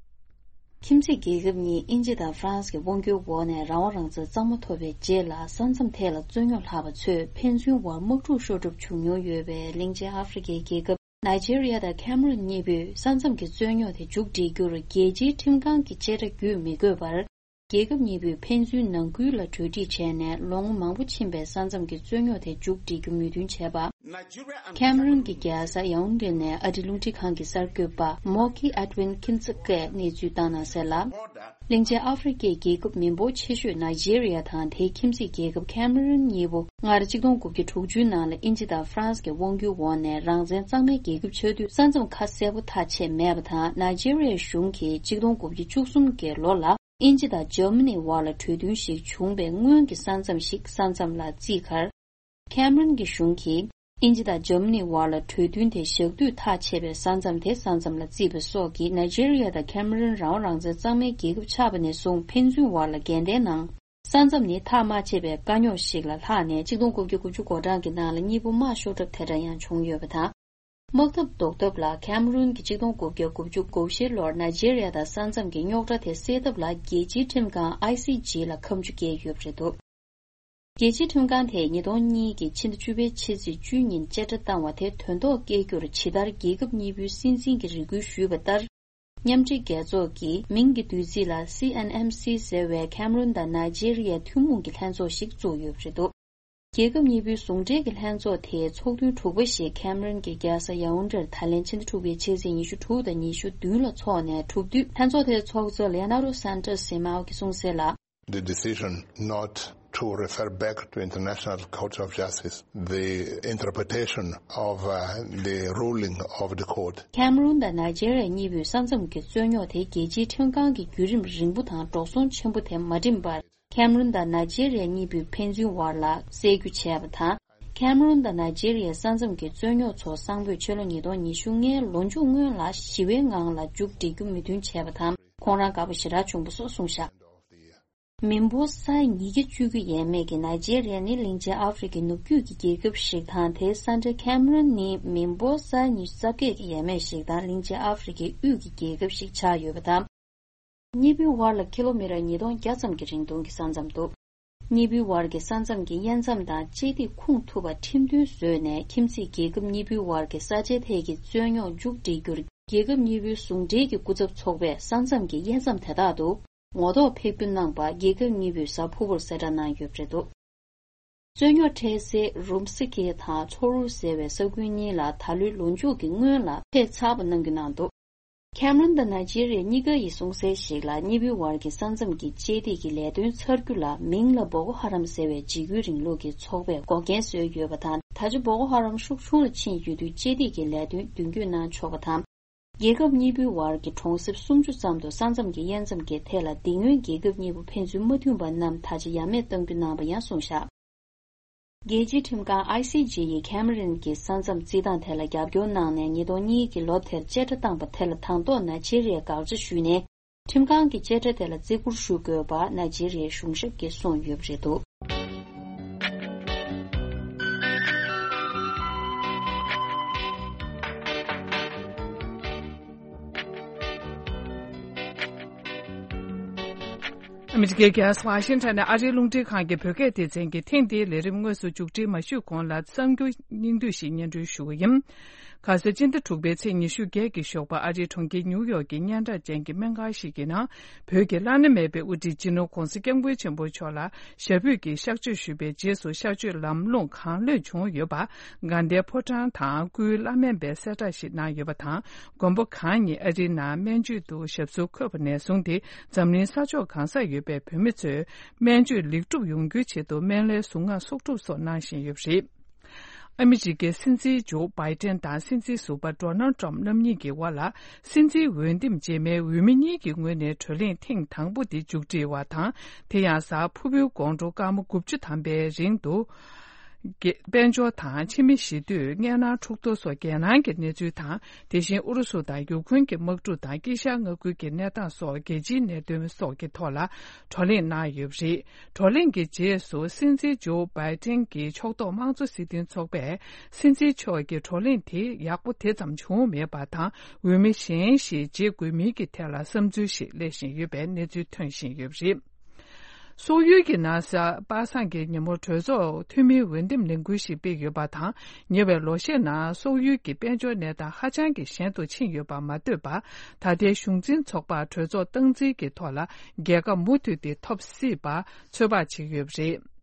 ཁྱིམ་མཚེས་རྒྱལ་ཁབ་གཉིས་དབྱིན་ཇི་དང་ཧྥ་རན་སི་གི་དབང་སྒྱུར་འོག་ནས་རང་དབང་རང་བཙན་གཙང་མ་ཐོབ་པའི་རྗེས་ལ། ས་མཚམས་ཐད་ལ་རྩོད་རྙོག་ལྷག་པ་ཚོས་ཕན་ཚུན་དབར་དམག་འཁྲུག་ཤོར་གྲབས་བྱུང་མྱོང་ཡོད་པའི་གླིང་ཆེན་ཨ་ཧྥེ་རི་ཁའི་རྒྱལ་ཁབ་ནཱི་ཇེ་རི་ཡ་དང་ཁེ་མ་རུན་གཉིས་པོས་ས་མཚམས་ཀྱི་རྩོད་རྙོག་དེ་མཇུག་སྒྲིལ་རྒྱུར་རྒྱལ་སྤྱིའི་ཁྲིམས་ཁང་གི་བཅད་ཁྲ་བརྒྱུད་མི་དགོས་པར། རྒྱལ་ཁབ་གཉིས་པོས་ཕན་ཚུན་ནང་ཁུལ་ལ་གྲོས་འགྲིག་བྱས་ནས་ལོ་ངོ་མང་པོ་ཕྱིན་པའི་ས་མཚམས་ཀྱི་རྩོད་རྙོག་དེ་མཇུག་སྒྲིལ་རྒྱུ་མོས་མཐུན་བྱས་པ། ཁེམ་རོན་གྱི་རྒྱལ་ས་ཡའོན་ཏེ་ནས་ཨ་རིའི་རླུང་འཕྲིན་ཁང་གི་གསར་འགོད་པ་མོ་ཁི་ཨེ་ཏི་ཝིན་ཁིན་ཙི་ཀས་གནས་ཚུལ་བཏང་གནང་གསལ་ལ། གླིང་ཆེན་ཨ་ཧྥེ་རི་ཁའི་རྒྱལ་ཁབ་མི་འབོར་ཆེ་ཤོས་ནཱི་ཇེ་རི་ཡ་དང་དེའི་ཁྱིམ་མཚེས་རྒྱལ་ཁབ་ཁེམ་རོན་གཉིས་པོ་སྔར་ཆིག་སྟོང་དགུ་བརྒྱ་དྲུག་ཅུའི་ནང་ལ་དབྱིན་ཇི་དང་ཧྥ་རན་སི་གི་དབང་སྒྱུར་འོག་ནས་རང་བཙན་གཙང་མའི་རྒྱལ་ཁབ་ཆགས་དུས་ས་མཚམས་ཁ་གསལ་པོ་ཐག་ཆད་མེད་པ་དང་། ནཱི་ཇེ་རི་ཡའི་གཞུང་གིས་ཆིག་སྟོང་དགུ་བརྒྱ་བཅུ་གསུམ་གྱི་ལོ་ལ་དབྱིན་ཇི་དང་འཇར་མ་ནིའི་བར་ལ་གྲོས་མཐུན་ཞིག་བྱུང་བའི་སྔོན་གྱི་ས་མཚམས་ཤིག་ས་མཚམས་ལ་བརྩིས་ཁར། ཁེམ་རོན་གྱི་གཞུང་གིས་དབྱིན་ཇི་དང་འཇར་མ་ནིའི་བར་ལ་གྲོས་མཐུན་དེ་བཞག་དུས་ཐག་ཆད་པའི་ས་མཚམས་དེ་ས་མཚམས་ལ་བརྩིས་པ་སོགས་ཀྱིས་ནཱི་ཇེ་རི་ཡ་དང་ཁེམ་རོན་རང་དབང་རང་བཙན་གཙང་མའི་རྒྱལ་ཁབ་ཆགས་པ་ནས་བཟུང་ཕན་ཚུན་བར་ལ་འགལ་ཟླའི་ནང་ས་མཚམས་ནི་ཐག་མ་ཆད་པའི་དཀའ་རྙོག་ཞིག་ལ་ལྷག་ནས་ཆིག་སྟོང་དགུ་བརྒྱ་དགུ་བཅུ་གོ་གྲངས་ཀྱི་ནང་ལ་གཉིས་པོ་དམག་ཤོར་གྲབས་དེ་འདྲ་ཡང་བྱུང་ཡོད་པ་དང་། དམག་འཐབ་ཟློག་ཐབས་ལ་ཁེམ་རོན་གྱིས་ཆིག་སྟོང་དགུ་བརྒྱ་དགུ་བཅུ་གོ་བཞི་ལོར་ནཱི་ཇེ་རི་ཡ་དང་ས་མཚམས་ཀྱི་རྙོག་དྲ་དེ་སེལ་ཐབས་ལ་རྒྱལ་སྤྱིའི་ཁྲིམས་ཁང་ཨའི་སི་ཇི་ལ་ཁ་མཆུ་བཀལ་ཡོད་པ་རེད་འདུག་རྒྱལ་སྤྱིའི་ཁྲིམས་ཁང་དེས་ཉིས་སྟོང་གཉིས་ཀྱི་ཕྱི་ཟླ་བཅུ་པའི་ཕྱི་ཚེས་བཅུ་ཉིན་བཅད་ཁྲ་བཏང་བ་དེ་དོན་ཐོག་སྐྱེལ་རྒྱུར་ཇི་ལྟར་རྒྱལ་ཁབ་གཉིས་པོའི་སྲིད་འཛིན་གྱིས་རེ་སྐུལ་ཞུས་པ་ལྟར། མཉམ་འབྲེལ་རྒྱལ་ཚོགས་ཀྱི་མིང་གི་བསྡུས་ཚིག་ལ་སི་ཨེན་ཨེམ་སི་ཟེར་བའི་ཁེམ་རོན་དང་ནཱི་ཇེ་རི་ཡའི་ཐུན་མོང་གི་ལྷན་ཚོགས་ཤིག་བཙུགས་ཡོད་པ་རེད་འདུག་རྒྱལ་ཁབ་གཉིས་པོའི་ཟུང་འབྲེལ་གྱི་ལྷན་ཚོགས་དེའི་ཚོགས་ཐུན་དྲུག་པ་ཞིག་ཁེམ་རོན་གྱི་རྒྱལ་ས་ཡའོན་ཏྲེར་ད་ལན་ཕྱི་ཟླ་དྲུག་པའི་ཕྱི་ཚེས་ཉི་ཤུ་དྲུག་དང་ཉི་ཤུ་བདུན་ལ་འཚོགས་ནས་གྲུབ་དུས། ལྷན་ཚོགས་དེའི་ཚོགས་གཙོ་ལེ་ནཱ་རོ་སན་ཏོ་སི་མའོ་གིས་གསུངས་གསལ་ལ། The decision not to refer back to International Court of Justice the interpretation of, uh, the ruling of the court. ཁེམ་རོན་དང་ནཱི་ཇེ་རི་ཡ་གཉིས་པོས་ས་མཚམས་ཀྱི་རྩོད་རྙོག་དེ་རྒྱལ་སྤྱིའི་ཁྲིམས་ཁང་གི་བརྒྱུད་རིམ་རིང་པོ་དང་འགྲོ་སོང་ཆེན་པོ་དེ་མ་འགྲིམས་པར། ཁེམ་རོན་དང་ནཱི་ཇེ་རི་ཡ་གཉིས་པོས་ཕན་ཚུན་བར་ལ་སེལ་རྒྱུ་བྱས་པ་དང་། ཁེམ་རོན་དང་ནཱི་ཇེ་རི་ཡའི་ས་མཚམས་ཀྱི་རྩོད་རྙོག་ཚོ་སང་ཕོད་ཕྱི་ལོ་ཉིས་སྟོང་ཉི་ཤུ་ལྔའི་ལོ་མཇུག་སྔོན་ལ་ཞི་བའི་ངང་ལ་མཇུག་སྒྲིལ་རྒྱུ་མོས་མཐུན་བྱས་པ་དང་། ཁོང་རང་དགའ་པོ་ཞེ་དྲག་བྱུང་པ་སོགས་གསུངས་བཞག་མི་འབོར་ས་ཡ་ཉིས་བརྒྱ་བཅུ་གྱ་ཡས་མས་ཀྱི་ནཱི་ཇེ་རི་ཡ་ནི་གླིང་ཆེན་ཨ་ཧྥེ་རི་ཁའི་ནུབ་རྒྱུད་ཀྱི་རྒྱལ་ཁབ་ཞིག་དང་། དེའི་ས་འབྲེལ་ཁེམ་རོན་ནི་མི་འབོར་ས་ཡ་ཉི་ཤུ་རྩ་བརྒྱད་ཀྱི་ཡས་མས་ཤིག་དང་། གླིང་ཆེན་ཨ་ཧྥེ་རི་ཁའི་དབུས་ཀྱི་རྒྱལ་ཁབ་ཞིག་ཆགས་ཡོད་པ་དང་། གཉིས་པོའི་བར་ལ་ཀི་ལོ་མི་ཊར་ཉིས་སྟོང་བརྒྱ་ཙམ་གྱི་རིང་ཐུང་གི་ས་མཚམས་འདུག་གཉིས་པོའི་བར་གྱི་ས་མཚམས་ཀྱི་དབྱེ་མཚམས་དང་དཔྱད་ཐིག་ཁུངས་ཐུབ་པ་ཁྲིམས་མཐུན་བཟོས་ནས། ཁྱིམ་མཚེས་རྒྱལ་ཁབ་གཉིས་པོའི་བར་གྱི་ས་ཆའི་ཐད་ཀྱི་རྩོད་རྙོག་མཇུག་སྒྲིལ་རྒྱུར། རྒྱལ་ཁབ་གཉིས་པོའི་ཟུང་འབྲེལ་གྱི་སྐུ་ཚབ་ཚོགས་པས་ས་མཚམས་ཀྱི་དབྱེ་མཚམས་དེ་དག་ཏུ་ངོ་ཐོག་ཕེབས་སྐྱོད་གནང་པ། རྒྱལ་ཁབ་གཉིས་པོས་གཟའ་ཕུར་བུར་གསལ་བསྒྲགས་གནང་ཡོད་པ་རེད་འདུག་རྩོད་རྙོག་འཕྲད་སའི་རུམ་སི་ཀེ་དང་ཚོ་རུ་ཟེར་བའི་ས་ཁུལ་གཉིས་ལ་ད་ལོའི་ལོ་མཇུག་གི་སྔོན་ལ་ཕེབས་ཚར་བ་གནང་རྒྱུ་གནང་འདུག་ཁེམ་རོན་དང་ནཱི་ཇེ་རི་ཡ་གཉིས་ཀ་ཡིས་གསུངས་གསལ་ཞིག་ལ། གཉིས་པོའི་བར་གྱི་ས་མཚམས་ཀྱི་དཔྱད་ཐིག་གི་ལས་དོན་ཚར་རྒྱུ་ལ་མིང་ལ་བོ་ཀོ་ཧ་རམ་ཟེར་བའི་འཇིགས་སྐུལ་རིང་ལུགས་ཀྱི་ཚོགས་པས་འགོག་རྐྱེན་བཟོས་ཡོད་པ་དང་། ད་ཆ་བོ་ཀོ་ཧ་རམ་ཤུགས་ཆུང་ལ་ཕྱིན་ཡོད་དུས་དཔྱད་ཐིག་གི་ལས་དོན་མདུན་སྐྱོད་གནང་ཆོག་པ་དང་། རྒྱལ་ཁབ་གཉིས་པོའི་བར་གྱི་གྲོང་གསེབ་སུམ་ཅུ་ཙམ་དུ་ས་མཚམས་ཀྱི་དབྱེ་མཚམས་ཀྱི་ཐད་ལ་དེ་སྔོན་རྒྱལ་ཁབ་གཉིས་པོ་ཕན་ཚུན་མ་མཐུན་པ་རྣམས་ད་ཆ་ཡ་མེད་གཏང་རྒྱུ་གནང་བ་ཡང་གསུངས་བཞག་རྒྱལ་སྤྱིའི་ཁྲིམས་ཁང་ཨའི་སི་ཇི་ཡིས་ཁེམ་རོན་གྱི་ས་མཚམས་རྩིས་སྟངས་ཐད་ལ་རྒྱབ་སྐྱོར་གནང་ནས། ཉིས་སྟོང་གཉིས་ཀྱི་ལོ་དེར་བཅད་ཁྲ་བཏང་པ་དེ་ལ་དང་ཐོག་ནཱི་ཇེ་རི་ཡས་དགག་བྱ་ཞུས་ནས། ཁྲིམས་ཁང་གི་བཅད་ཁྲ་དེ་ལ་བརྩི་བཀུར་ཞུ་དགོས་པ་ནཱི་ཇེ་རི་ཡའི་གཞུང་ཞབས་ཀྱིས་གསུངས་ཡོད་པ་རེད་འདུག་ཨ་མི་རི་ཀའི་རྒྱལ་ས་ཝ་ཤིང་ཊོན་ནས་ཨ་རིའི་རླུང་འཕྲིན་ཁང་གི་བོད་སྐད་སྡེ་ཚན་གྱིས་ཐེངས་འདིའི་ལས་རིམ་དངོས་སུ་མཇུག་སྒྲིལ་མ་ཞུས་གོང་ལ་གསར་འགྱུར་སྙིང་བསྡུས་ཤིག་སྙན་སྒྲོན་ཞུ་གི་ཡིན། ཁ་སང་སྤྱི་ཟླ་དྲུག་པའི་ཚེས་ཉི་ཤུ་བརྒྱད་ཀྱི་ཞོགས་པ་ཨ་རིའི་གྲོང་ཁྱེར་ཉིའུ་ཡོག་གི་སྙན་གྲགས་ཅན་གྱི་སྨན་ཁང་ཞིག་གི་ནང་བོད་ཀྱི་བླ་ན་མེད་པའི་དབུ་ཁྲིད་སྤྱི་ནོར་༧གོང་ས་༧སྐྱབས་མགོན་ཆེན་པོ་མཆོག་ལ་ཞབས་པུས་ཀྱིས་གཤགས་བཅོས་ཞུས་པའི་རྗེས་སུ་གཤགས་བཅོས་ལམ་ལྷོང་གང་ལེགས་བྱུང་ཡོད་པ། དགའ་ལྡན་ཕོ་བྲང་དང་སྐུའི་བླ་སྨན་པས་གསལ་བསྒྲགས་ཤིག་གནང་ཡོད་པ་དང་། མགོན་པོ་གང་ཉིད་ཨ་རིའི་ནང་སྨན་བཅོས་དུ་ཞབས་སོར་འཁོད་པ་ནས་བཟུང་སྟེ། འཛམ་གླིང་ས་ཕྱོགས་གང་སར་ཡོད་པའི་བོད་མི་ཚོས་སྨན་བཅོས་ལེགས་གྲུབ་ཡོང་རྒྱུའི་ཆེད་དུ་སྨན་བླའི་གཟུངས་སྔགས་གསོག་སྒྲུབ་སོགས་གནང་བཞིན་ཡོད་པ་རེད། ཨ་མི་རི་ཀའི་སྲིད་འཛིན་ཇོ་བྷའི་ཏན་དང་སྲིད་འཛིན་ཟུར་པ་ཌོ་ནལ་ཏྲམ་རྣམ་གཉིས་ཀྱི་དབར་ལ། སྲིད་འཛིན་འོས་འདེམས་རྗེས་མའི་འོས་མི་གཉིས་ཀྱི་ངོས་ནས་བགྲོ་གླེང་ཐེངས་དང་པོ་དེ་མཇུག་སྒྲིལ་བ་དང་། དེ་ཡང་གཟའ་ཕུར་བུའི་དགོང་དྲོ་སྐར་མ་དགུ་བཅུ་ཐམ་པའི་རིང་དུ། དཔལ་འབྱོར་དང་ཕྱི་མི་ཞི་གཏོད། མངལ་ནང་འཁྲུག་གཏོར་སོགས་རྒྱལ་ནང་གི་གནས་ཚུལ་དང་། དེ་བཞིན་ཨུ་རུ་སུ་དང་ཡུཀ་རེན་གྱི་དམག་འཁྲུག་དང་དཀྱིལ་ཤར་མངའ་ཁུལ་གྱི་གནས་སྟངས་སོགས་རྒྱལ་སྤྱིའི་གནད་དོན་སོགས་ཀྱི་ཐོག་ལ་བགྲོ་གླེང་གནང་ཡོད་པ་རེད། བགྲོ་གླེང་གི་རྗེས་སུ་སྲིད་འཛིན་ཇོ་བྷའི་ཏན་གྱི་ཕྱོགས་གཏོགས་དམངས་གཙོ་སྲིད་དོན་ཚོགས་པས་སྲིད་འཛིན་མཆོག་གི་བགྲོ་གླེང་དེ་ཡག་པོ་དེ་ཙམ་བྱུང་མེད་པ་དང་། འོས་མི་གཞན་ཞིག་བརྗེ་དགོས་མིན་གྱི་ཐད་ལ་བསམ་ཚུལ་ཞིག་སླེབས་བཞིན་ཡོད་པའི་གནས་ཚུལ་ཐོན་བཞིན་ཡོད་པ་རེད། སོག་ཡུལ་གྱི་ནང་གཟའ་པ་སངས་ཀྱི་ཉིན་མོ་གྲོས་ཚོགས་འཐུས་མིའི་འོས་འདེམས་ལས་འགུལ་ཞིག་སྤེལ་ཡོད་པ་དང་། ཉེ་བའི་ལོ་ཤས་ནང་སོག་ཡུལ་གྱི་དཔལ་འབྱོར་གནས་སྟངས་ཧ་ཅང་གི་ཞན་དུ་ཕྱིན་ཡོད་པ་མ་ལྟོས་པར། ད་ལྟའི་གཞུང་འཛིན་ཚོགས་པར་གྲོས་ཚོགས་སྟངས་འཛིན་གྱི་ཐོག་ལ་རྒྱལ་ཁ་མུ་མཐུད་དེ་ཐོབ་སྲིད་པར་ཚོད་དཔག་བྱེད་ཀྱི་ཡོད་པ་རེད།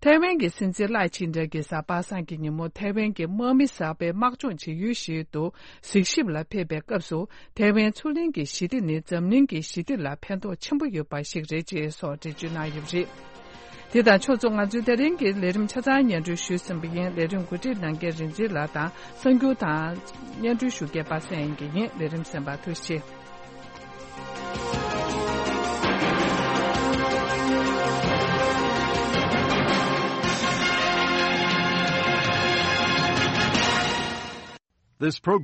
ཐའེ་ཝན་གྱི་སྲིད་འཛིན་ལའེ་ཆིང་ཏེ་གིས་གཟའ་པ་སངས་ཀྱི་ཉིན་མོ་ཐའེ་ཝན་གྱི་དམག་མི་གསར་པའི་དམག་སྦྱོང་བྱེད་ཡུལ་ཞིག་ཏུ་གཟིགས་ཞིབ་ལ་ཕེབས་པའི་སྐབས་སུ། ཐའེ་ཝན་མཚོ་གླིང་གི་ཞི་བདེ་ནི་འཛམ་གླིང་གི་ཞི་བདེ་ལ་ཕན་ཐོགས་ཆེན་པོ་ཡོད་པ་ཞིག་རེད་ཅེས་སོགས་འགྲེལ་བརྗོད་གནང་ཡོད་པ་རེད། དེ་དང་ཕྱོགས་མཚུངས། ང་ཚོའི་དེ་རིང་གི་ལས་རིམ་ཆ་ཚང་སྙན་སྒྲོན་ཞུས་ཟིན་པ་ཡིན། ལས་རིམ་གོ་སྒྲིག་གནང་མཁན་རིག་འཛིན་ལགས་དང་གསར་འགྱུར་དང་སྙན་སྒྲོན་ཞུ་མཁན་པ་སངས་དབྱངས་སྐྱིད་ཡིན། ལས་རིམ་གསན་པར་ཐུགས་རྗེ་ཆེ། This program